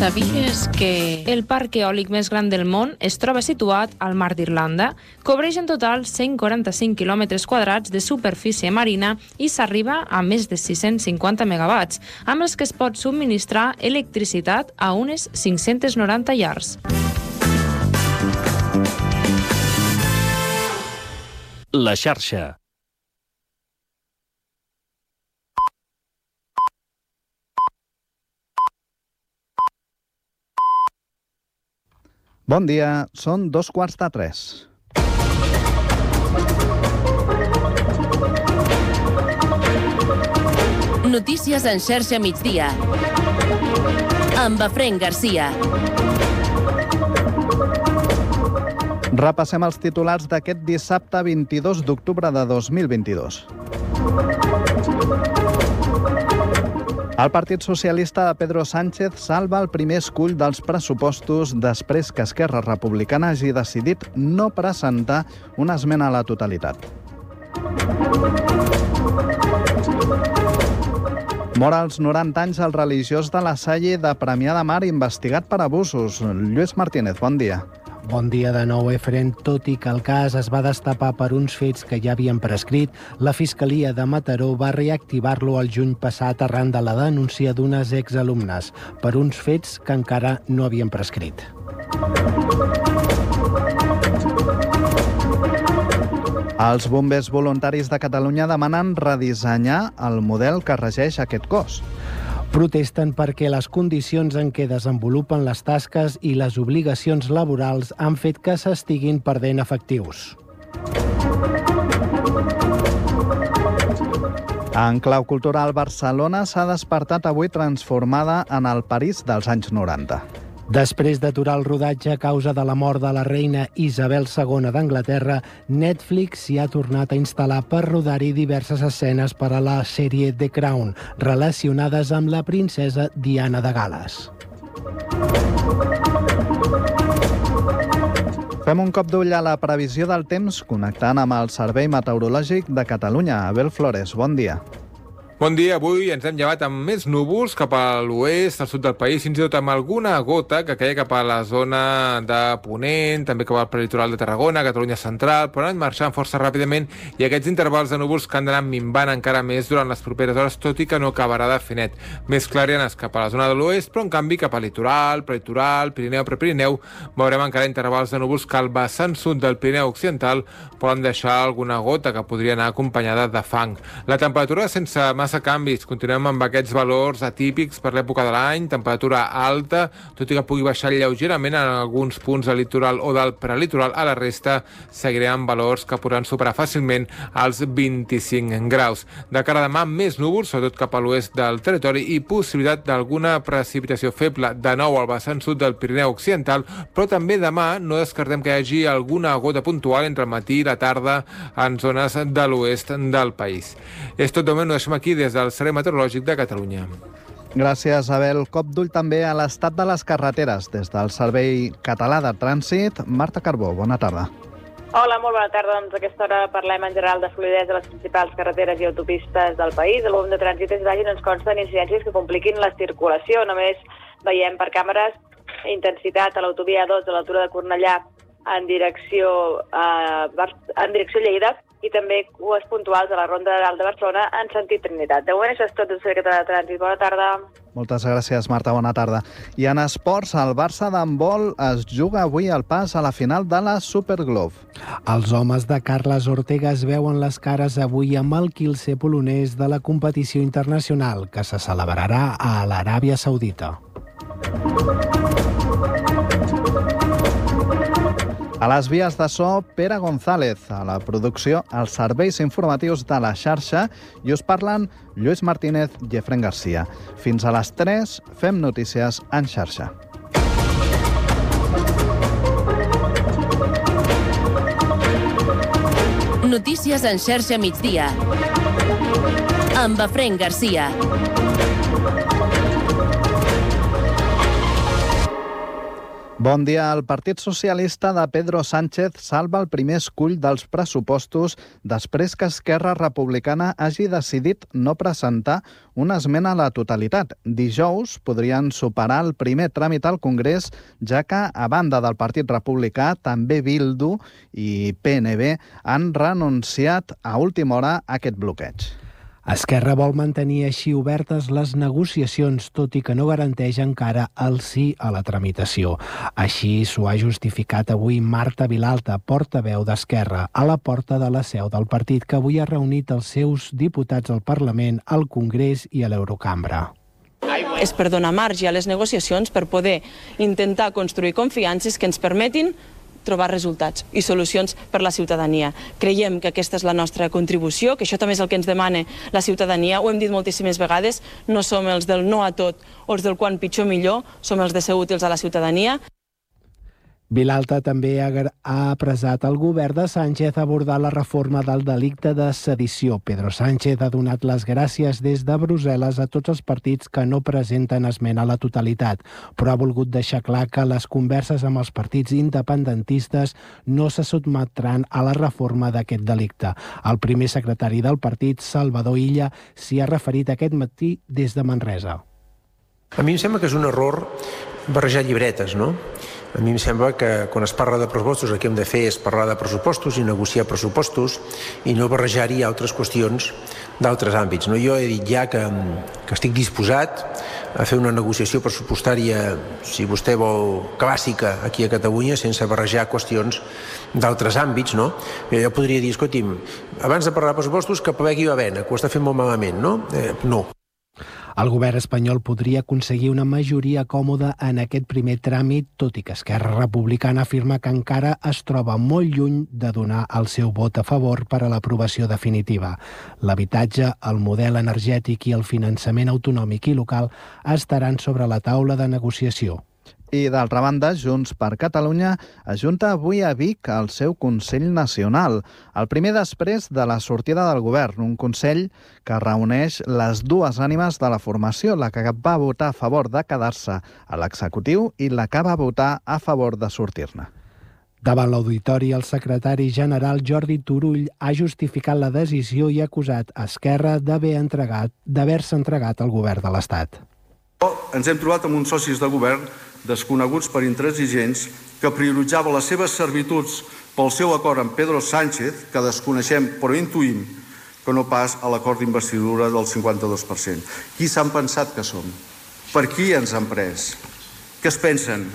Sabies que... El parc eòlic més gran del món es troba situat al Mar d'Irlanda, cobreix en total cent quaranta-cinc quilòmetres quadrats de superfície marina i s'arriba a més de sis-cents cinquanta megawatts, amb els que es pot subministrar electricitat a unes cinc-cents noranta llars. La xarxa. Bon dia, són dos quarts de tres. Notícies en xarxa migdia. Amb Efraín Garcia. Repassem els titulars d'aquest dissabte vint-i-dos d'octubre de dos mil vint-i-dos. El Partit Socialista de Pedro Sánchez salva el primer escull dels pressupostos després que Esquerra Republicana hagi decidit no presentar una esmena a la totalitat. Mor als noranta anys el religiós de la Salle de Premià de Mar investigat per abusos. Lluís Martínez, bon dia. Bon dia de nou, Efren. Tot i que el cas es va destapar per uns fets que ja havien prescrit, la Fiscalia de Mataró va reactivar-lo el juny passat arran de la denúncia d'unes exalumnes per uns fets que encara no havien prescrit. Els bombers voluntaris de Catalunya demanen redissenyar el model que regeix aquest cos. Protesten perquè les condicions en què desenvolupen les tasques i les obligacions laborals han fet que s'estiguin perdent efectius. En clau cultural, Barcelona s'ha despertat avui transformada en el París dels anys noranta. Després d'aturar el rodatge a causa de la mort de la reina Isabel segona d'Anglaterra, Netflix s'hi ha tornat a instal·lar per rodar-hi diverses escenes per a la sèrie The Crown, relacionades amb la princesa Diana de Gal·les. Fem un cop d'ull a la previsió del temps connectant amb el Servei Meteorològic de Catalunya. Abel Flores, bon dia. Bon dia, avui ens hem llevat amb més núvols cap a l'oest, al sud del país, fins i tot amb alguna gota que caia cap a la zona de Ponent, també cap al prelitoral de Tarragona, Catalunya central, però han marxat força ràpidament i aquests intervals de núvols que han d'anar minvant encara més durant les properes hores, tot i que no acabarà de fer net. Més clarianes cap a la zona de l'oest, però en canvi cap al litoral, prelitoral, Pirineu, Prepirineu, veurem encara intervals de núvols que al vessant sud del Pirineu occidental poden deixar alguna gota que podria anar acompanyada de fang. La temperatura sense massa canvis. Continuem amb aquests valors atípics per l'època de l'any, temperatura alta, tot i que pugui baixar lleugerament en alguns punts del litoral o del prelitoral. A la resta seguirem amb valors que podran superar fàcilment els vint-i-cinc graus. De cara a demà, més núvols, sobretot cap a l'oest del territori, i possibilitat d'alguna precipitació feble de nou al vessant sud del Pirineu occidental, però també demà no descartem que hi hagi alguna gota puntual entre el matí i la tarda en zones de l'oest del país. És tot de moment, ho deixem aquí des del Servei Meteorològic de Catalunya. Gràcies, Abel. Cop d'ull també a l'estat de les carreteres. Des del Servei Català de Trànsit, Marta Carbó, bona tarda. Hola, molt bona tarda. Doncs a aquesta hora parlem en general de fluïdesa de les principals carreteres i autopistes del país. El volum de trànsit és baix i no ens consten incidències que compliquin la circulació. Només veiem per càmeres intensitat a l'autovia dos a l'altura de Cornellà en direcció, a, en direcció Lleida, i també cues puntuals a la Ronda de Dalt de Barcelona en sentit Trinitat. De moment això és tot del Servei Català de Trànsit. Bona tarda. Moltes gràcies, Marta. Bona tarda. I en esports, el Barça d'handbol es juga avui el pas a la final de la Superglove. Els homes de Carles Ortega es veuen les cares avui amb el quilze polonès de la competició internacional, que se celebrarà a l'Aràbia Saudita. A les vies de so, Pere González. A la producció, els serveis informatius de la xarxa, i us parlen Lluís Martínez i Efraín Garcia. Fins a les tres, fem notícies en xarxa. Notícies en xarxa migdia. Amb Efraín Garcia. Bon dia. El Partit Socialista de Pedro Sánchez salva el primer escull dels pressupostos després que Esquerra Republicana hagi decidit no presentar una esmena a la totalitat. Dijous podrien superar el primer tràmit al Congrés, ja que, a banda del Partit Republicà, també Bildu i P N B han renunciat a última hora a aquest bloqueig. Esquerra vol mantenir així obertes les negociacions, tot i que no garanteix encara el sí a la tramitació. Així s'ho ha justificat avui Marta Vilalta, portaveu d'Esquerra, a la porta de la seu del partit, que avui ha reunit els seus diputats al Parlament, al Congrés i a l'Eurocambra. És per donar marge a les negociacions per poder intentar construir confiances que ens permetin trobar resultats i solucions per la ciutadania. Creiem que aquesta és la nostra contribució, que això també és el que ens demana la ciutadania. Ho hem dit moltíssimes vegades, no som els del no a tot o els del quan pitjor millor, som els de ser útils a la ciutadania. Vilalta també ha apressat el govern de Sánchez a abordar la reforma del delicte de sedició. Pedro Sánchez ha donat les gràcies des de Brussel·les a tots els partits que no presenten esmena a la totalitat, però ha volgut deixar clar que les converses amb els partits independentistes no se sotmetran a la reforma d'aquest delicte. El primer secretari del partit, Salvador Illa, s'hi ha referit aquest matí des de Manresa. A mi em sembla que és un error barrejar llibretes, no? A mi em sembla que quan es parla de pressupostos el que hem de fer és parlar de pressupostos i negociar pressupostos i no barrejar-hi altres qüestions d'altres àmbits. No? Jo he dit ja que, que estic disposat a fer una negociació pressupostària, si vostè vol, clàssica aquí a Catalunya, sense barrejar qüestions d'altres àmbits. No? Jo podria dir, escolti'm, abans de parlar de pressupostos que plegui la vena, que ho està fent molt malament, no? Eh, no. El govern espanyol podria aconseguir una majoria còmoda en aquest primer tràmit, tot i que Esquerra Republicana afirma que encara es troba molt lluny de donar el seu vot a favor per a l'aprovació definitiva. L'habitatge, el model energètic i el finançament autonòmic i local estaran sobre la taula de negociació. I, d'altra banda, Junts per Catalunya ajunta avui a Vic el seu Consell Nacional, el primer després de la sortida del govern, un Consell que reuneix les dues ànimes de la formació, la que va votar a favor de quedar-se a l'executiu i la que va votar a favor de sortir-ne. Davant l'auditori, el secretari general Jordi Turull ha justificat la decisió i ha acusat Esquerra d'haver entregat, d'haver-se entregat al govern de l'Estat. Ens hem trobat amb uns socis de govern desconeguts per intransigents que prioritzaven les seves servituds pel seu acord amb Pedro Sánchez, que desconeixem però intuïm que no pas a l'acord d'investidura del cinquanta-dos per cent. Qui s'han pensat que som? Per qui ens han pres? Què es pensen?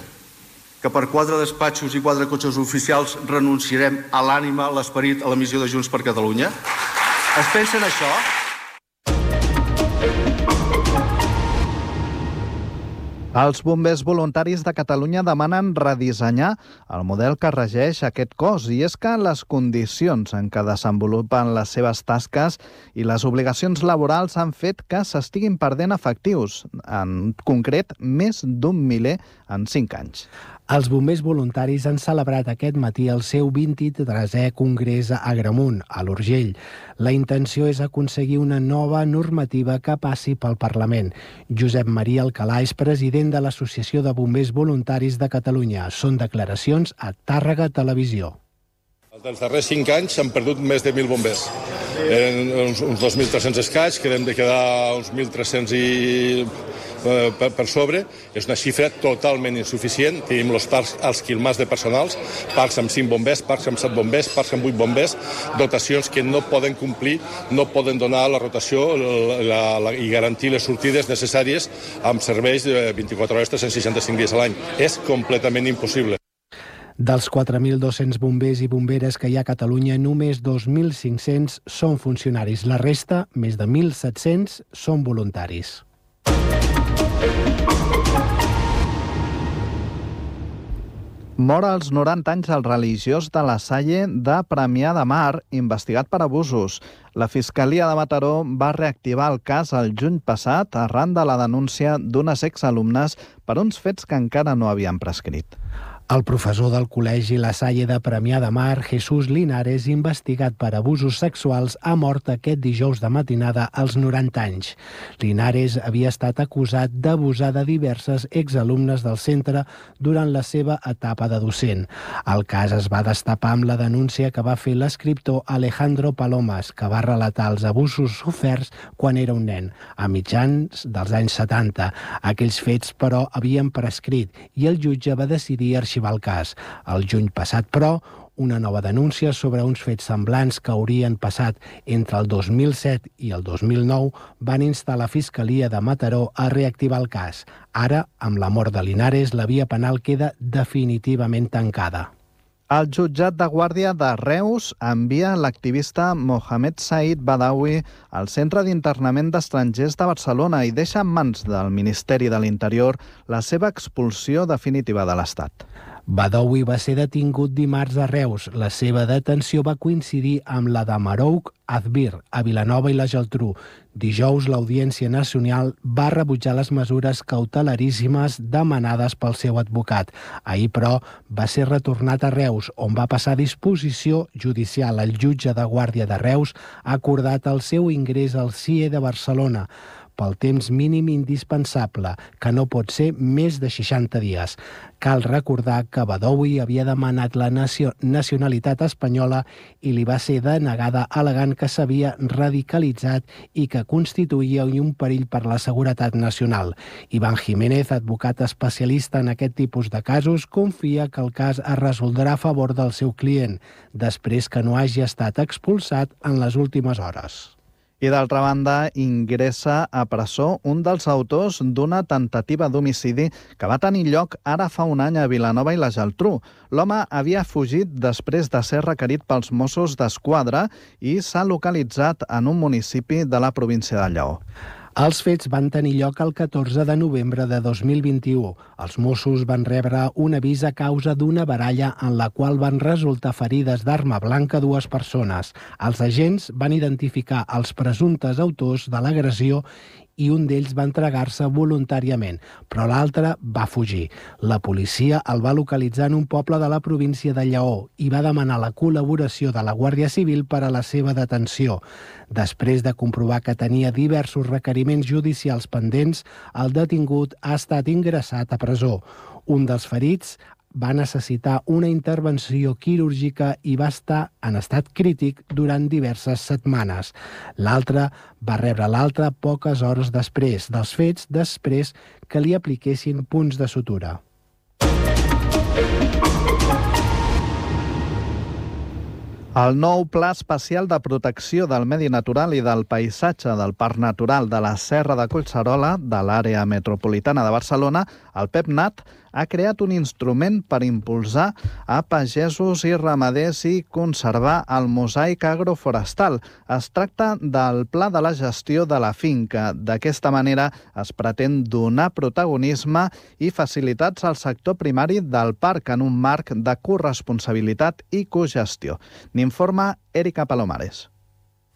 Que per quatre despatxos i quatre cotxes oficials renunciarem a l'ànima, a l'esperit, a la missió de Junts per Catalunya? Es pensen això? Els bombers voluntaris de Catalunya demanen redissenyar el model que regeix aquest cos, i és que les condicions en què desenvolupen les seves tasques i les obligacions laborals han fet que s'estiguin perdent efectius, en concret més d'un miler en cinc anys. Els bombers voluntaris han celebrat aquest matí el seu vint-i-tresè Congrés a Agramunt, a l'Urgell. La intenció és aconseguir una nova normativa que passi pel Parlament. Josep Maria Alcalà és president de l'Associació de Bombers Voluntaris de Catalunya. Són declaracions a Tàrrega Televisió. Els darrers cinc anys s'han perdut més de mil bombers. Eren uns, uns dos mil tres-cents escaig, que hem de quedar uns mil tres-cents i... Per, per sobre. És una xifra totalment insuficient. Tenim els parcs, els quilmars de personals, parcs amb cinc bombers, parcs amb set bombers, parcs amb vuit bombers, dotacions que no poden complir, no poden donar la rotació la, la, i garantir les sortides necessàries amb serveis de vint-i-quatre hores, tres-cents seixanta-cinc dies a l'any. És completament impossible. Dels quatre mil dos-cents bombers i bomberes que hi ha a Catalunya, només dos mil cinc-cents són funcionaris. La resta, més de mil set-cents, són voluntaris. Mor als noranta anys el religiós de la Salle de Premià de Mar, investigat per abusos. La Fiscalia de Mataró va reactivar el cas el juny passat arran de la denúncia d'unes exalumnes per uns fets que encara no havien prescrit. El professor del Col·legi La Salle de Premià de Mar, Jesús Linares, investigat per abusos sexuals, ha mort aquest dijous de matinada als noranta anys. Linares havia estat acusat d'abusar de diverses exalumnes del centre durant la seva etapa de docent. El cas es va destapar amb la denúncia que va fer l'escriptor Alejandro Palomas, que va relatar els abusos soferts quan era un nen, a mitjans dels anys setanta. Aquells fets, però, havien prescrit i el jutge va decidir arxivar el cas. El juny passat, però, una nova denúncia sobre uns fets semblants que haurien passat entre el dos mil set i el dos mil nou van instar la Fiscalia de Mataró a reactivar el cas. Ara, amb la mort de Linares, la via penal queda definitivament tancada. El jutjat de Guàrdia de Reus envia l'activista Mohamed Said Badawi al Centre d'Internament d'Estrangers de Barcelona i deixa en mans del Ministeri de l'Interior la seva expulsió definitiva de l'Estat. Badawi va ser detingut dimarts a Reus. La seva detenció va coincidir amb la de Marouk Azbir, a Vilanova i la Geltrú. Dijous, l'Audiència Nacional va rebutjar les mesures cautelaríssimes demanades pel seu advocat. Ahir, però, va ser retornat a Reus, on va passar a disposició judicial. El jutge de Guàrdia de Reus ha acordat el seu ingrés al C I E de Barcelona pel temps mínim indispensable, que no pot ser més de seixanta dies. Cal recordar que Badawi havia demanat la nacionalitat espanyola i li va ser denegada al·legant que s'havia radicalitzat i que constituïa un perill per la seguretat nacional. Iván Jiménez, advocat especialista en aquest tipus de casos, confia que el cas es resoldrà a favor del seu client, després que no hagi estat expulsat en les últimes hores. I d'altra banda, ingressa a presó un dels autors d'una tentativa d'homicidi que va tenir lloc ara fa un any a Vilanova i la Geltrú. L'home havia fugit després de ser requerit pels Mossos d'Esquadra i s'ha localitzat en un municipi de la província de Lleó. Els fets van tenir lloc el catorze de novembre de dos mil vint-i-u. Els Mossos van rebre un avís a causa d'una baralla en la qual van resultar ferides d'arma blanca dues persones. Els agents van identificar els presumptes autors de l'agressió i un d'ells va entregar-se voluntàriament, però l'altre va fugir. La policia el va localitzar en un poble de la província de Lleó i va demanar la col·laboració de la Guàrdia Civil per a la seva detenció. Després de comprovar que tenia diversos requeriments judicials pendents, el detingut ha estat ingressat a presó. Un dels ferits va necessitar una intervenció quirúrgica i va estar en estat crític durant diverses setmanes. L'altre va rebre l'altre poques hores després dels fets, després que li apliquessin punts de sutura. El nou Pla Especial de Protecció del Medi Natural i del Paisatge del Parc Natural de la Serra de Collserola, de l'àrea metropolitana de Barcelona, el PEPNAT, ha creat un instrument per impulsar a pagesos i ramaders i conservar el mosaic agroforestal. Es tracta del Pla de la Gestió de la Finca. D'aquesta manera es pretén donar protagonisme i facilitats al sector primari del parc en un marc de corresponsabilitat i cogestió. N'informa Erika Palomares.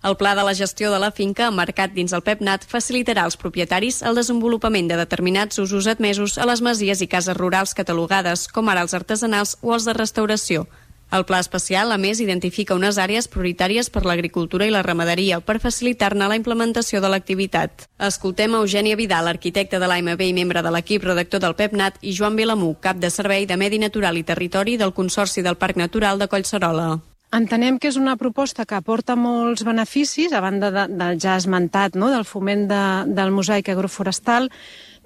El Pla de la Gestió de la Finca, emmarcat dins el PEPNAT, facilitarà als propietaris el desenvolupament de determinats usos admesos a les masies i cases rurals catalogades, com ara els artesanals o els de restauració. El Pla Especial, a més, identifica unes àrees prioritàries per l'agricultura i la ramaderia per facilitar-ne la implementació de l'activitat. Escoltem a Eugènia Vidal, arquitecte de l'A M B i membre de l'equip redactor del PEPNAT, i Joan Vilamú, cap de Servei de Medi Natural i Territori del Consorci del Parc Natural de Collserola. Entenem que és una proposta que aporta molts beneficis, a banda de, de ja esmentat, no?, del foment de, del mosaic agroforestal.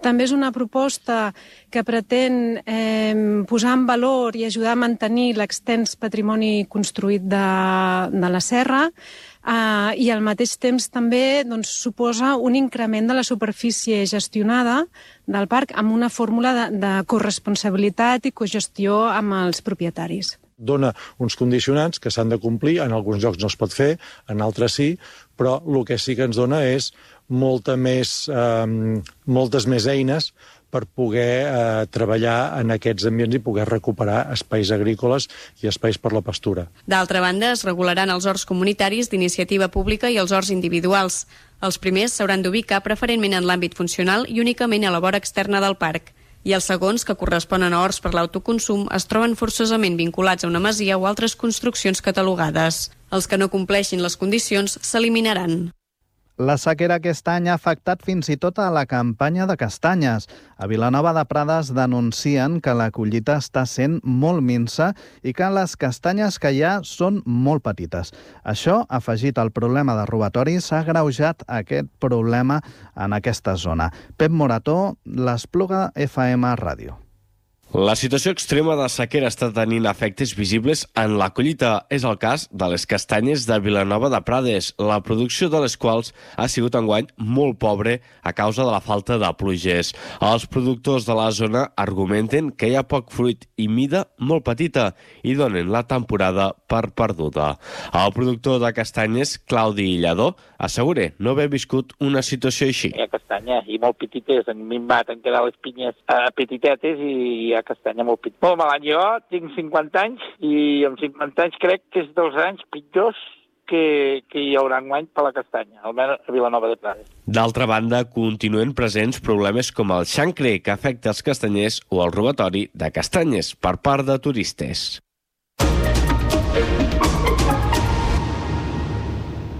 També és una proposta que pretén eh, posar en valor i ajudar a mantenir l'extens patrimoni construït de, de la serra eh, i al mateix temps també doncs, suposa un increment de la superfície gestionada del parc amb una fórmula de, de corresponsabilitat i cogestió amb els propietaris. Dona uns condicionants que s'han de complir, en alguns llocs no es pot fer, en altres sí, però el que sí que ens dona és molta més, eh, moltes més eines per poder eh, treballar en aquests ambients i poder recuperar espais agrícoles i espais per la pastura. D'altra banda, es regularan els horts comunitaris d'iniciativa pública i els horts individuals. Els primers s'hauran d'ubicar preferentment en l'àmbit funcional i únicament a la vora externa del parc. i els segons, que corresponen a horts per l'autoconsum, es troben forçosament vinculats a una masia o altres construccions catalogades. Els que no compleixin les condicions s'eliminaran. La sequera aquest any ha afectat fins i tot a la campanya de castanyes. A Vilanova de Prades denuncien que la collita està sent molt minsa i que les castanyes que hi ha són molt petites. Això, afegit al problema de robatoris, ha agreujat aquest problema en aquesta zona. Pep Morató, l'Espluga F M Ràdio. La situació extrema de sequera està tenint efectes visibles en la collita. És el cas de les castanyes de Vilanova de Prades, la producció de les quals ha sigut enguany molt pobre a causa de la falta de pluges. Els productors de la zona argumenten que hi ha poc fruit i mida molt petita i donen la temporada per perduda. El productor de castanyes, Claudi Lladó, assegura no haver viscut una situació així. Hi ha castanya i molt petites, han minvat, han quedat les pinyes eh, petitetes i hi ha castanya molt petit. Molt mal any. Jo tinc cinquanta anys i amb cinquanta anys crec que és dels anys pitjors que, que hi haurà enguany per la castanya, almenys a Vilanova de Prades. D'altra banda, continuen presents problemes com el xancre, que afecta els castanyers, o el robatori de castanyes per part de turistes.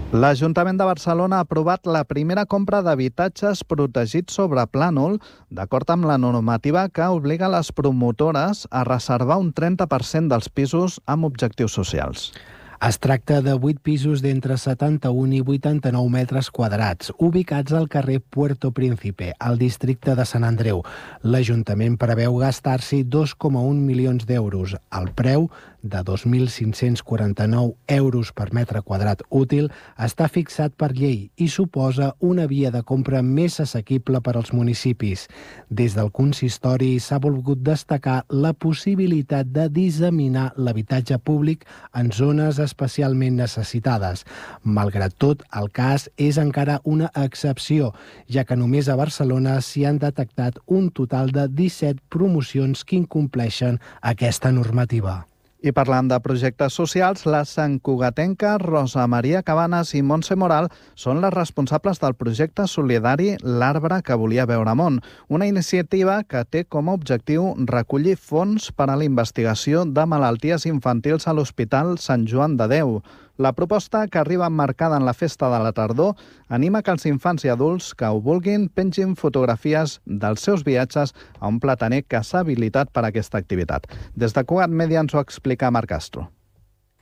L'Ajuntament de Barcelona ha aprovat la primera compra d'habitatges protegits sobre plànol, d'acord amb la normativa que obliga les promotores a reservar un trenta per cent dels pisos amb objectius socials. Es tracta de vuit pisos d'entre setanta-un i vuitanta-nou metres quadrats, ubicats al carrer Puerto Príncipe, al districte de Sant Andreu. L'Ajuntament preveu gastar-s'hi dos coma un milions d'euros. El preu, de dos mil cinc-cents quaranta-nou euros per metre quadrat útil, està fixat per llei i suposa una via de compra més assequible per als municipis. Des del consistori s'ha volgut destacar la possibilitat de disseminar l'habitatge públic en zones especialment necessitades. Malgrat tot, el cas és encara una excepció, ja que només a Barcelona s'hi han detectat un total de disset promocions que incompleixen aquesta normativa. I parlant de projectes socials, la santcugatenca Rosa Maria Cabanes i Montse Moral són les responsables del projecte solidari L'arbre que volia veure món, una iniciativa que té com a objectiu recollir fons per a la investigació de malalties infantils a l'Hospital Sant Joan de Déu. La proposta, que arriba emmarcada en la festa de la tardor, anima que els infants i adults que ho vulguin pengin fotografies dels seus viatges a un plataner que s'ha habilitat per a aquesta activitat. Des de Cugat Media ens ho explica Marc Castro.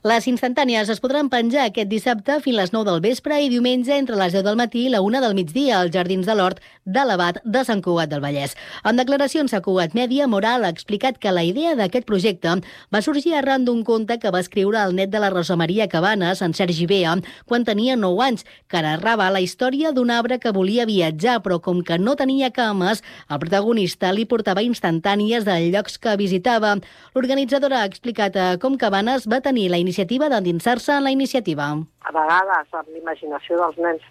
Les instantànies es podran penjar aquest dissabte fins a les nou del vespre i diumenge entre les deu del matí i la una del migdia als Jardins de l'Hort de l'Abat de Sant Cugat del Vallès. En declaracions a Cugat Media, Moral ha explicat que la idea d'aquest projecte va sorgir arran d'un conte que va escriure el net de la Rosa Maria Cabanes, en Sergi Bea, quan tenia nou anys, que narrava la història d'un arbre que volia viatjar, però com que no tenia cames, el protagonista li portava instantànies dels llocs que visitava. L'organitzadora ha explicat com Cabanes va tenir la iniciativa d'endinsar-se en la iniciativa. A vegades, amb l'imaginació dels nens,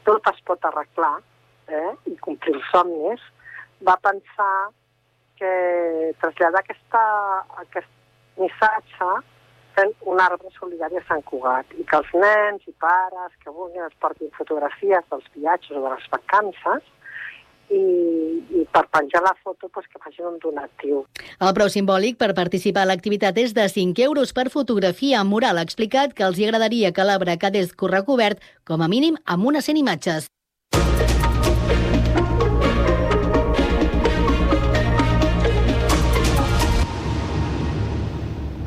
tot es pot arreglar eh, i complir els somnis. Va pensar que traslladar aquesta, aquest missatge fent un arbre solidari a Sant Cugat i que els nens i pares que vulguin es portin fotografies dels viatges o de les vacances i, i per penjar la foto pues, que facin un donatiu. El preu simbòlic per participar a l'activitat és de cinc euros per fotografia. Moral ha explicat que els agradaria que l'arbre quedés recobert com a mínim amb unes cent imatges.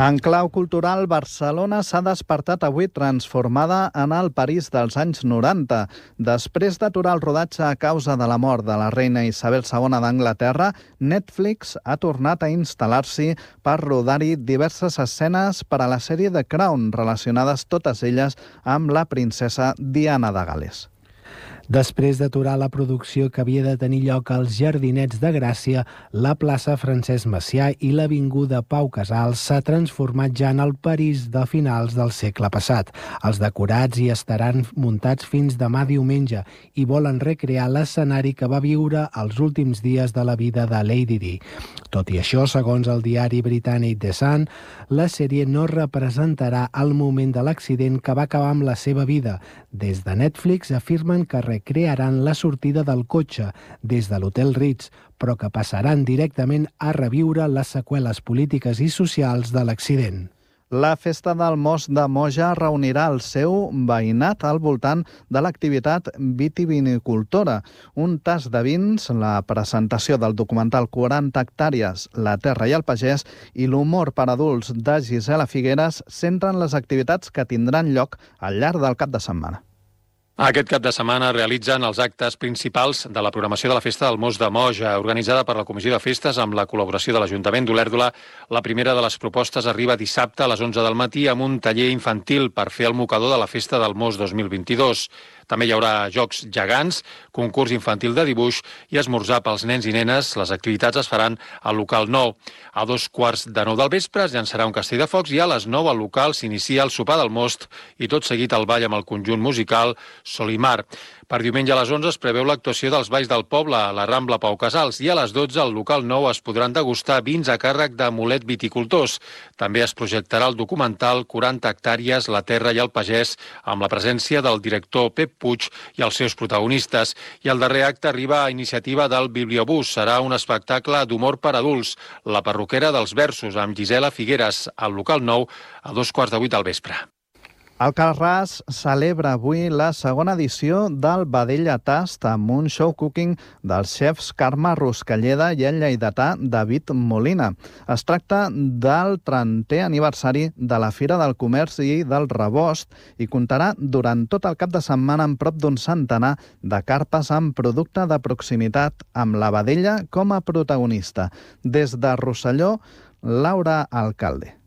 En clau cultural, Barcelona s'ha despertat avui transformada en el París dels anys noranta. Després d'aturar el rodatge a causa de la mort de la reina Isabel segona d'Anglaterra, Netflix ha tornat a instal·lar-s'hi per rodar-hi diverses escenes per a la sèrie The Crown, relacionades totes elles amb la princesa Diana de Gal·les. Després d'aturar la producció que havia de tenir lloc als Jardinets de Gràcia, la plaça Francesc Macià i l'avinguda Pau Casals s'ha transformat ja en el París de finals del segle passat. Els decorats hi estaran muntats fins demà diumenge i volen recrear l'escenari que va viure els últims dies de la vida de Lady Di. Tot i això, segons el diari britànic The Sun, la sèrie no representarà el moment de l'accident que va acabar amb la seva vida. Des de Netflix afirmen que recrearan la sortida del cotxe des de l'Hotel Ritz, però que passaran directament a reviure les seqüeles polítiques i socials de l'accident. La Festa del Most de Moja reunirà el seu veïnat al voltant de l'activitat vitivinicultora. Un tas de vins, la presentació del documental quaranta hectàrees, la terra i el pagès i l'humor per adults de Gisela Figueres centren les activitats que tindran lloc al llarg del cap de setmana. Aquest cap de setmana realitzen els actes principals de la programació de la Festa del Most de Moja, organitzada per la Comissió de Festes amb la col·laboració de l'Ajuntament d'Olèrdola. La primera de les propostes arriba dissabte a les onze del matí amb un taller infantil per fer el mocador de la Festa del Most dos mil vint-i-dos. També hi haurà jocs gegants, concurs infantil de dibuix i esmorzar pels nens i nenes. Les activitats es faran al local nou. A dos quarts de nou del vespre es llançarà un castell de focs i a les nou al local s'inicia el sopar del most i tot seguit el ball amb el conjunt musical Solimar. Per diumenge a les onze es preveu l'actuació dels balls del poble a la Rambla Pau Casals i a les dotze al local nou es podran degustar vins a càrrec de Mulet Viticultors. També es projectarà el documental quaranta hectàrees, la terra i el pagès amb la presència del director Pep Puig i els seus protagonistes. I el darrer acte arriba a iniciativa del Bibliobús. Serà un espectacle d'humor per adults, La perruquera dels versos, amb Gisela Figueres, al local nou a dos quarts de vuit del vespre. Alcarràs celebra avui la segona edició del Vedella Tast amb un show cooking dels xefs Carme Ruscalleda i el lleidatà David Molina. Es tracta del trentè aniversari de la Fira del Comerç i del Rebost i comptarà durant tot el cap de setmana amb prop d'un centenar de carpes amb producte de proximitat amb la vedella com a protagonista. Des de Rosselló, Laura Alcalde.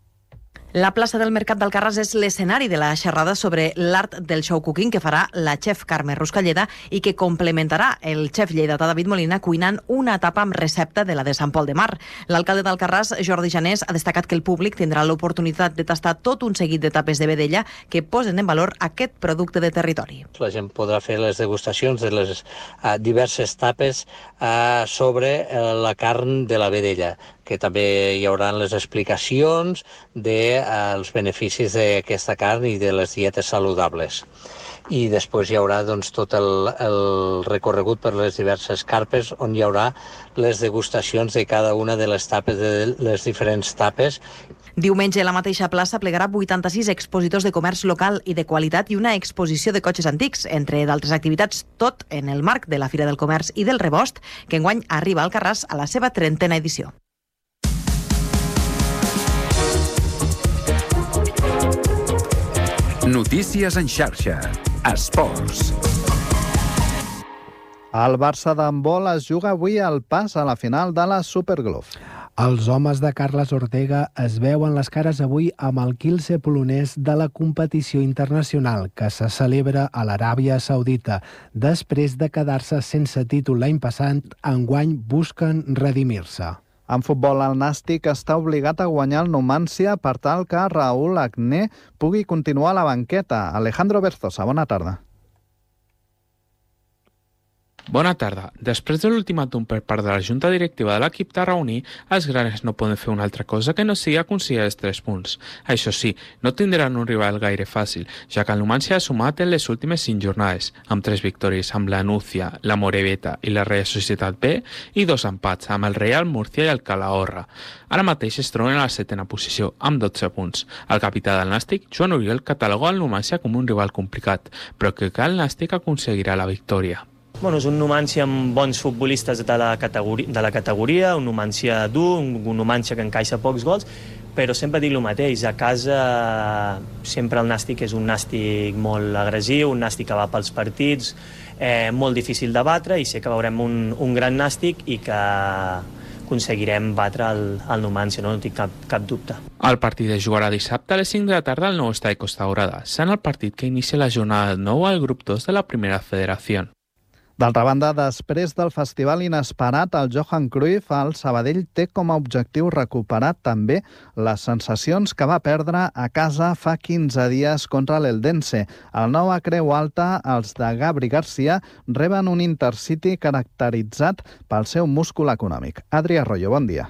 La plaça del Mercat d'Alcarràs és l'escenari de la xerrada sobre l'art del show cooking que farà la xef Carme Ruscalleda i que complementarà el xef lleidatà David Molina cuinant una tapa amb recepta de la de Sant Pol de Mar. L'alcalde d'Alcarràs, Jordi Janés, ha destacat que el públic tindrà l'oportunitat de tastar tot un seguit de tapes de vedella que posen en valor aquest producte de territori. La gent podrà fer les degustacions de les uh, diverses tapes uh, sobre uh, la carn de la vedella, que també hi haurà les explicacions dels beneficis d'aquesta carn i de les dietes saludables. I després hi haurà doncs, tot el, el recorregut per les diverses carpes on hi haurà les degustacions de cada una de les tapes, de les diferents tapes. Diumenge a la mateixa plaça plegarà vuitanta-sis expositors de comerç local i de qualitat i una exposició de cotxes antics, entre d'altres activitats, tot en el marc de la Fira del Comerç i del Rebost, que enguany arriba a Alcarràs a la seva trentena edició. Notícies en xarxa. Esports. El Barça d'handbol es juga avui el pas a la final de la Superglove. Els homes de Carles Ortega es veuen les cares avui amb el Kielce polonès de la competició internacional que se celebra a l'Aràbia Saudita. Després de quedar-se sense títol l'any passat, enguany busquen redimir-se. En futbol, el Nàstic està obligat a guanyar el Numància per tal que Raúl Agné pugui continuar a la banqueta. Alejandro Berzosa, bona tarda. Bona tarda. Després de l'ultimàtum per part de la Junta Directiva de l'equip tarragoní, els granes no poden fer una altra cosa que no sigui aconseguir els tres punts. Això sí, no tindran un rival gaire fàcil, ja que el Numància ha sumat en les últimes cinc jornades, amb tres victòries amb la Núcia, la Moreveta i la Real Societat B, i dos empats amb el Real Murcia i el Calahorra. Ara mateix es troben a la setena posició, amb dotze punts. El capità del Nàstic, Joan Oriol, cataloga el Numància com un rival complicat, però que el Nàstic aconseguirà la victòria. Bueno, és un Numància amb bons futbolistes de la categoria, de la categoria un Numància dur, un Numància que encaixa pocs gols, però sempre dic el mateix, a casa sempre el Nàstic és un Nàstic molt agressiu, un Nàstic que va pels partits, eh, molt difícil de batre, i sé que veurem un, un gran Nàstic i que aconseguirem batre el, el Numància, no, no tinc cap, cap dubte. El partit es jugarà dissabte a les cinc de la tarda al nou estadi Costa Daurada, sent el partit que inicia la jornada nou al grup dos de la Primera Federació. D'altra banda, després del festival inesperat al Johan Cruyff, el Sabadell té com a objectiu recuperar també les sensacions que va perdre a casa fa quinze dies contra l'Eldense. Al nou a Creu Alta, els de Gabri Garcia reben un Intercity caracteritzat pel seu múscul econòmic. Adri Arroyo, bon dia.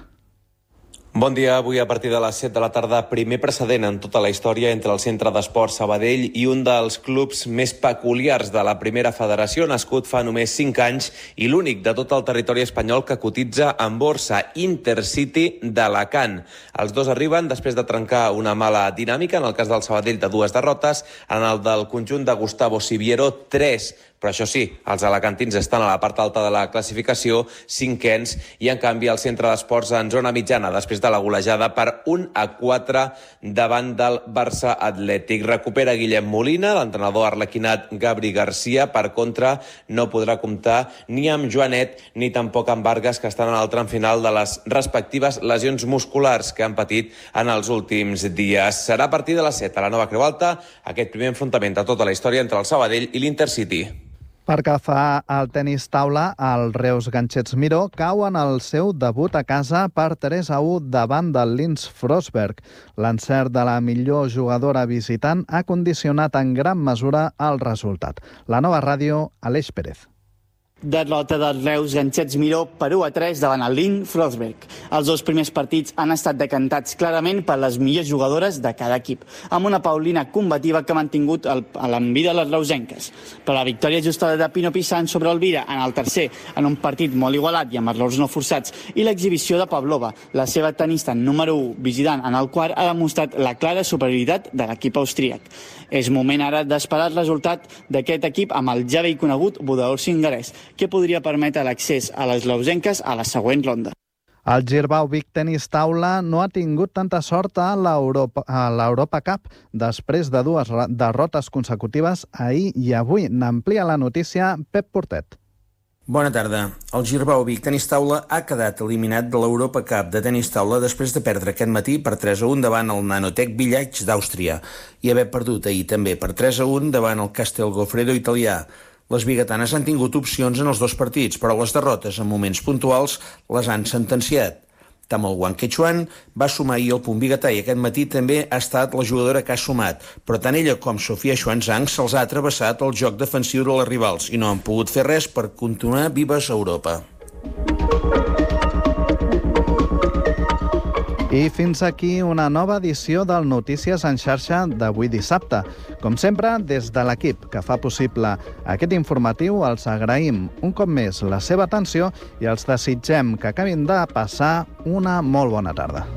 Bon dia. Avui a partir de les set de la tarda, primer precedent en tota la història entre el Centre d'Esports Sabadell i un dels clubs més peculiars de la primera federació, nascut fa només cinc anys i l'únic de tot el territori espanyol que cotitza en borsa, Intercity d'Alacant. Els dos arriben després de trencar una mala dinàmica, en el cas del Sabadell de dues derrotes, en el del conjunt de Gustavo Siviero, tres. Però això sí, els alacantins estan a la part alta de la classificació, cinquens, i en canvi el Centre d'Esports en zona mitjana, després de la golejada per un a quatre davant del Barça Atlètic. Recupera Guillem Molina, l'entrenador arlequinat Gabri Garcia, per contra no podrà comptar ni amb Joanet ni tampoc amb Vargas, que estan en el tram final de les respectives lesions musculars que han patit en els últims dies. Serà a partir de les set a la Nova Creu Alta aquest primer enfrontament de tota la història entre el Sabadell i l'Intercity. Per que fa el tenis taula, el Reus Ganchets Miró cau en el seu debut a casa per tres a u davant del Linz Frostberg. L'encert de la millor jugadora visitant ha condicionat en gran mesura el resultat. La Nova Ràdio, Aleix Pérez. Derrota del Reus Ganchets Miró per u a tres davant el Linz Frostberg. Els dos primers partits han estat decantats clarament per les millors jugadores de cada equip, amb una Paulina combativa que ha mantingut el, a l'envida de les reusenques. Però la victòria ajustada de Pino Pissant sobre Elvira en el tercer, en un partit molt igualat i amb errors no forçats, i l'exhibició de Pavlova, la seva tenista número u, visitant en el quart, ha demostrat la clara superioritat de l'equip austríac. És moment ara d'esperar el resultat d'aquest equip amb el ja vell conegut Budaur Singarès, que podria permetre l'accés a les reusenques a la següent ronda. El Girbau Vic Tenis Taula no ha tingut tanta sort a l'Europa, a l'Europa Cup després de dues derrotes consecutives ahir i avui. N'amplia la notícia Pep Portet. Bona tarda. El Girbau Vic Tenis Taula ha quedat eliminat de l'Europa Cup de tenis taula després de perdre aquest matí per tres a un davant el Nanotech Village d'Àustria i haver perdut ahir també per tres a un davant el Castel Goffredo italià. Les biguetanes han tingut opcions en els dos partits, però les derrotes en moments puntuals les han sentenciat. Tamal Wang Quechuan va sumar ahir el punt biguetà i aquest matí també ha estat la jugadora que ha sumat, però tant ella com Sofia Xuanzang se'ls ha travessat el joc defensiu de les rivals i no han pogut fer res per continuar vives a Europa. I fins aquí una nova edició del Notícies en xarxa d'avui dissabte. Com sempre, des de l'equip que fa possible aquest informatiu, els agraïm un cop més la seva atenció i els desitgem que acabin de passar una molt bona tarda.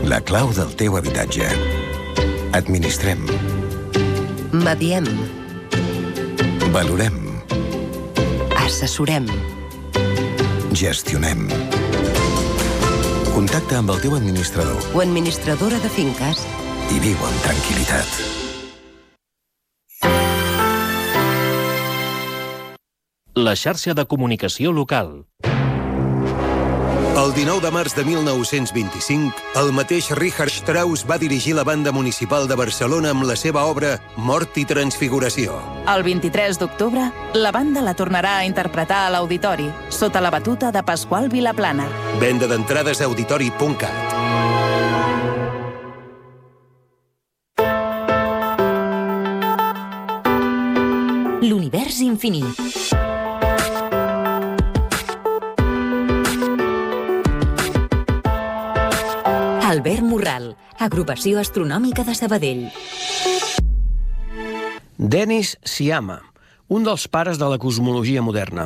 La clau del teu habitatge. Administrem. Mediem. Valorem. Assessorem. Gestionem. Contacta amb el teu administrador. O administradora de finques. I viu amb tranquil·litat. La xarxa de comunicació local. El dinou de març de mil nou-cents vint-i-cinc, el mateix Richard Strauss va dirigir la Banda Municipal de Barcelona amb la seva obra Mort i Transfiguració. El vint-i-tres d'octubre, la banda la tornarà a interpretar a l'Auditori, sota la batuta de Pasqual Vilaplana. Venda d'entrades a auditori punt cat. L'univers infinit. Albert Morral, Agrupació Astronòmica de Sabadell. Denis Sciama, un dels pares de la cosmologia moderna.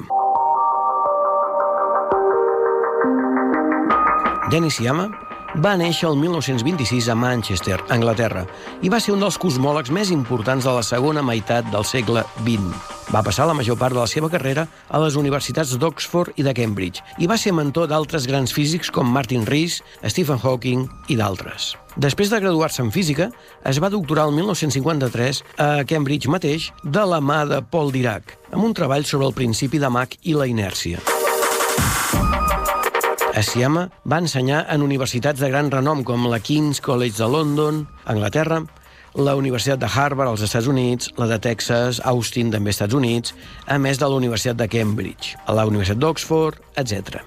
Denis Sciama va néixer el mil nou-cents vint-i-sis a Manchester, Anglaterra, i va ser un dels cosmòlegs més importants de la segona meitat del segle vint. Va passar la major part de la seva carrera a les universitats d'Oxford i de Cambridge i va ser mentor d'altres grans físics com Martin Rees, Stephen Hawking i d'altres. Després de graduar-se en física, es va doctorar el mil nou-cents cinquanta-tres a Cambridge mateix de la mà de Paul Dirac, amb un treball sobre el principi de Mach i la inèrcia. Sciama va ensenyar en universitats de gran renom com la King's College de London, Anglaterra, la Universitat de Harvard als Estats Units, la de Texas, Austin, també als Estats Units, a més de la Universitat de Cambridge, a la Universitat d'Oxford, etcètera.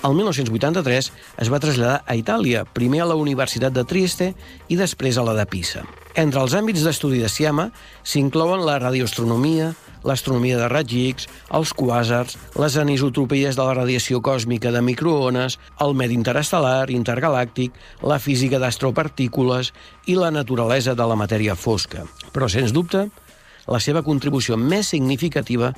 El mil nou-cents vuitanta-tres es va traslladar a Itàlia, primer a la Universitat de Trieste i després a la de Pisa. Entre els àmbits d'estudi de Sciama s'inclouen la radioastronomia, l'astronomia de raigs X, els quàsars, les anisotropies de la radiació còsmica de microones, el medi interestel·lar, intergalàctic, la física d'astropartícules i la naturalesa de la matèria fosca. Però, sens dubte, la seva contribució més significativa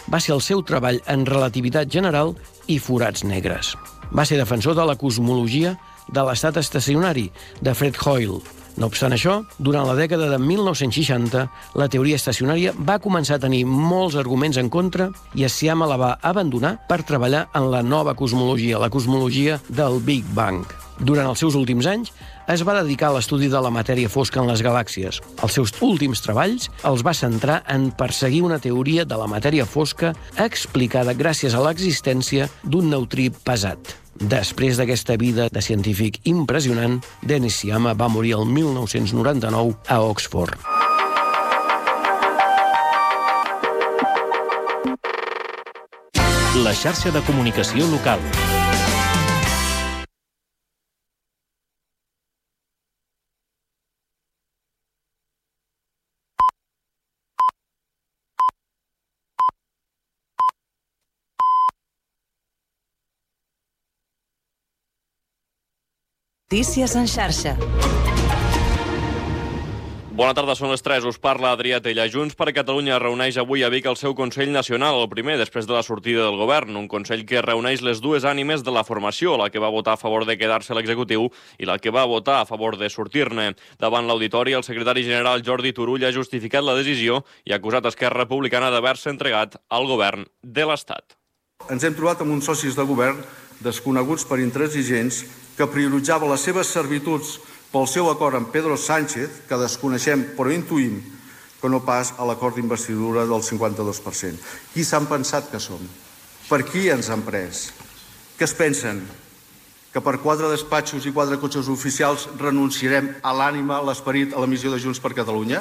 va ser el seu treball en relativitat general i forats negres. Va ser defensor de la cosmologia de l'estat estacionari, de Fred Hoyle. No obstant això, durant la dècada de mil nou-cents seixanta, la teoria estacionària va començar a tenir molts arguments en contra i Sciama la va abandonar per treballar en la nova cosmologia, la cosmologia del Big Bang. Durant els seus últims anys, es va dedicar a l'estudi de la matèria fosca en les galàxies. Els seus últims treballs els va centrar en perseguir una teoria de la matèria fosca explicada gràcies a l'existència d'un neutrí pesat. Després d'aquesta vida de científic impressionant, Dennis Sciama va morir el mil nou-cents noranta-nou a Oxford. La xarxa de comunicació local. Notícies en xarxa. Bona tarda, són les tres. Us parla Adrià Tella. Junts per Catalunya reuneix avui a Vic el seu Consell Nacional, el primer després de la sortida del govern. Un Consell que reuneix les dues ànimes de la formació, la que va votar a favor de quedar-se a l'executiu i la que va votar a favor de sortir-ne. Davant l'auditori, el secretari general Jordi Turull ha justificat la decisió i ha acusat Esquerra Republicana d'haver-se entregat al govern de l'Estat. Ens hem trobat amb uns socis de govern desconeguts per intransigents que prioritzava les seves servituds pel seu acord amb Pedro Sánchez, que desconeixem però intuïm que no pas a l'acord d'investidura del cinquanta-dos per cent. Qui s'han pensat que som? Per qui ens han pres? Què es pensen? Que per quatre despatxos i quatre cotxes oficials renunciarem a l'ànima, a l'esperit, a la missió de Junts per Catalunya?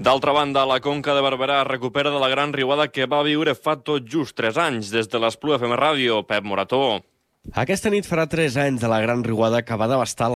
D'altra banda, la Conca de Barberà recupera de la gran riuada que va viure fa tot just tres anys. Des de l'Espluga F M Ràdio, Pep Morató. Aquesta nit farà tres anys de la gran riuada que va devastar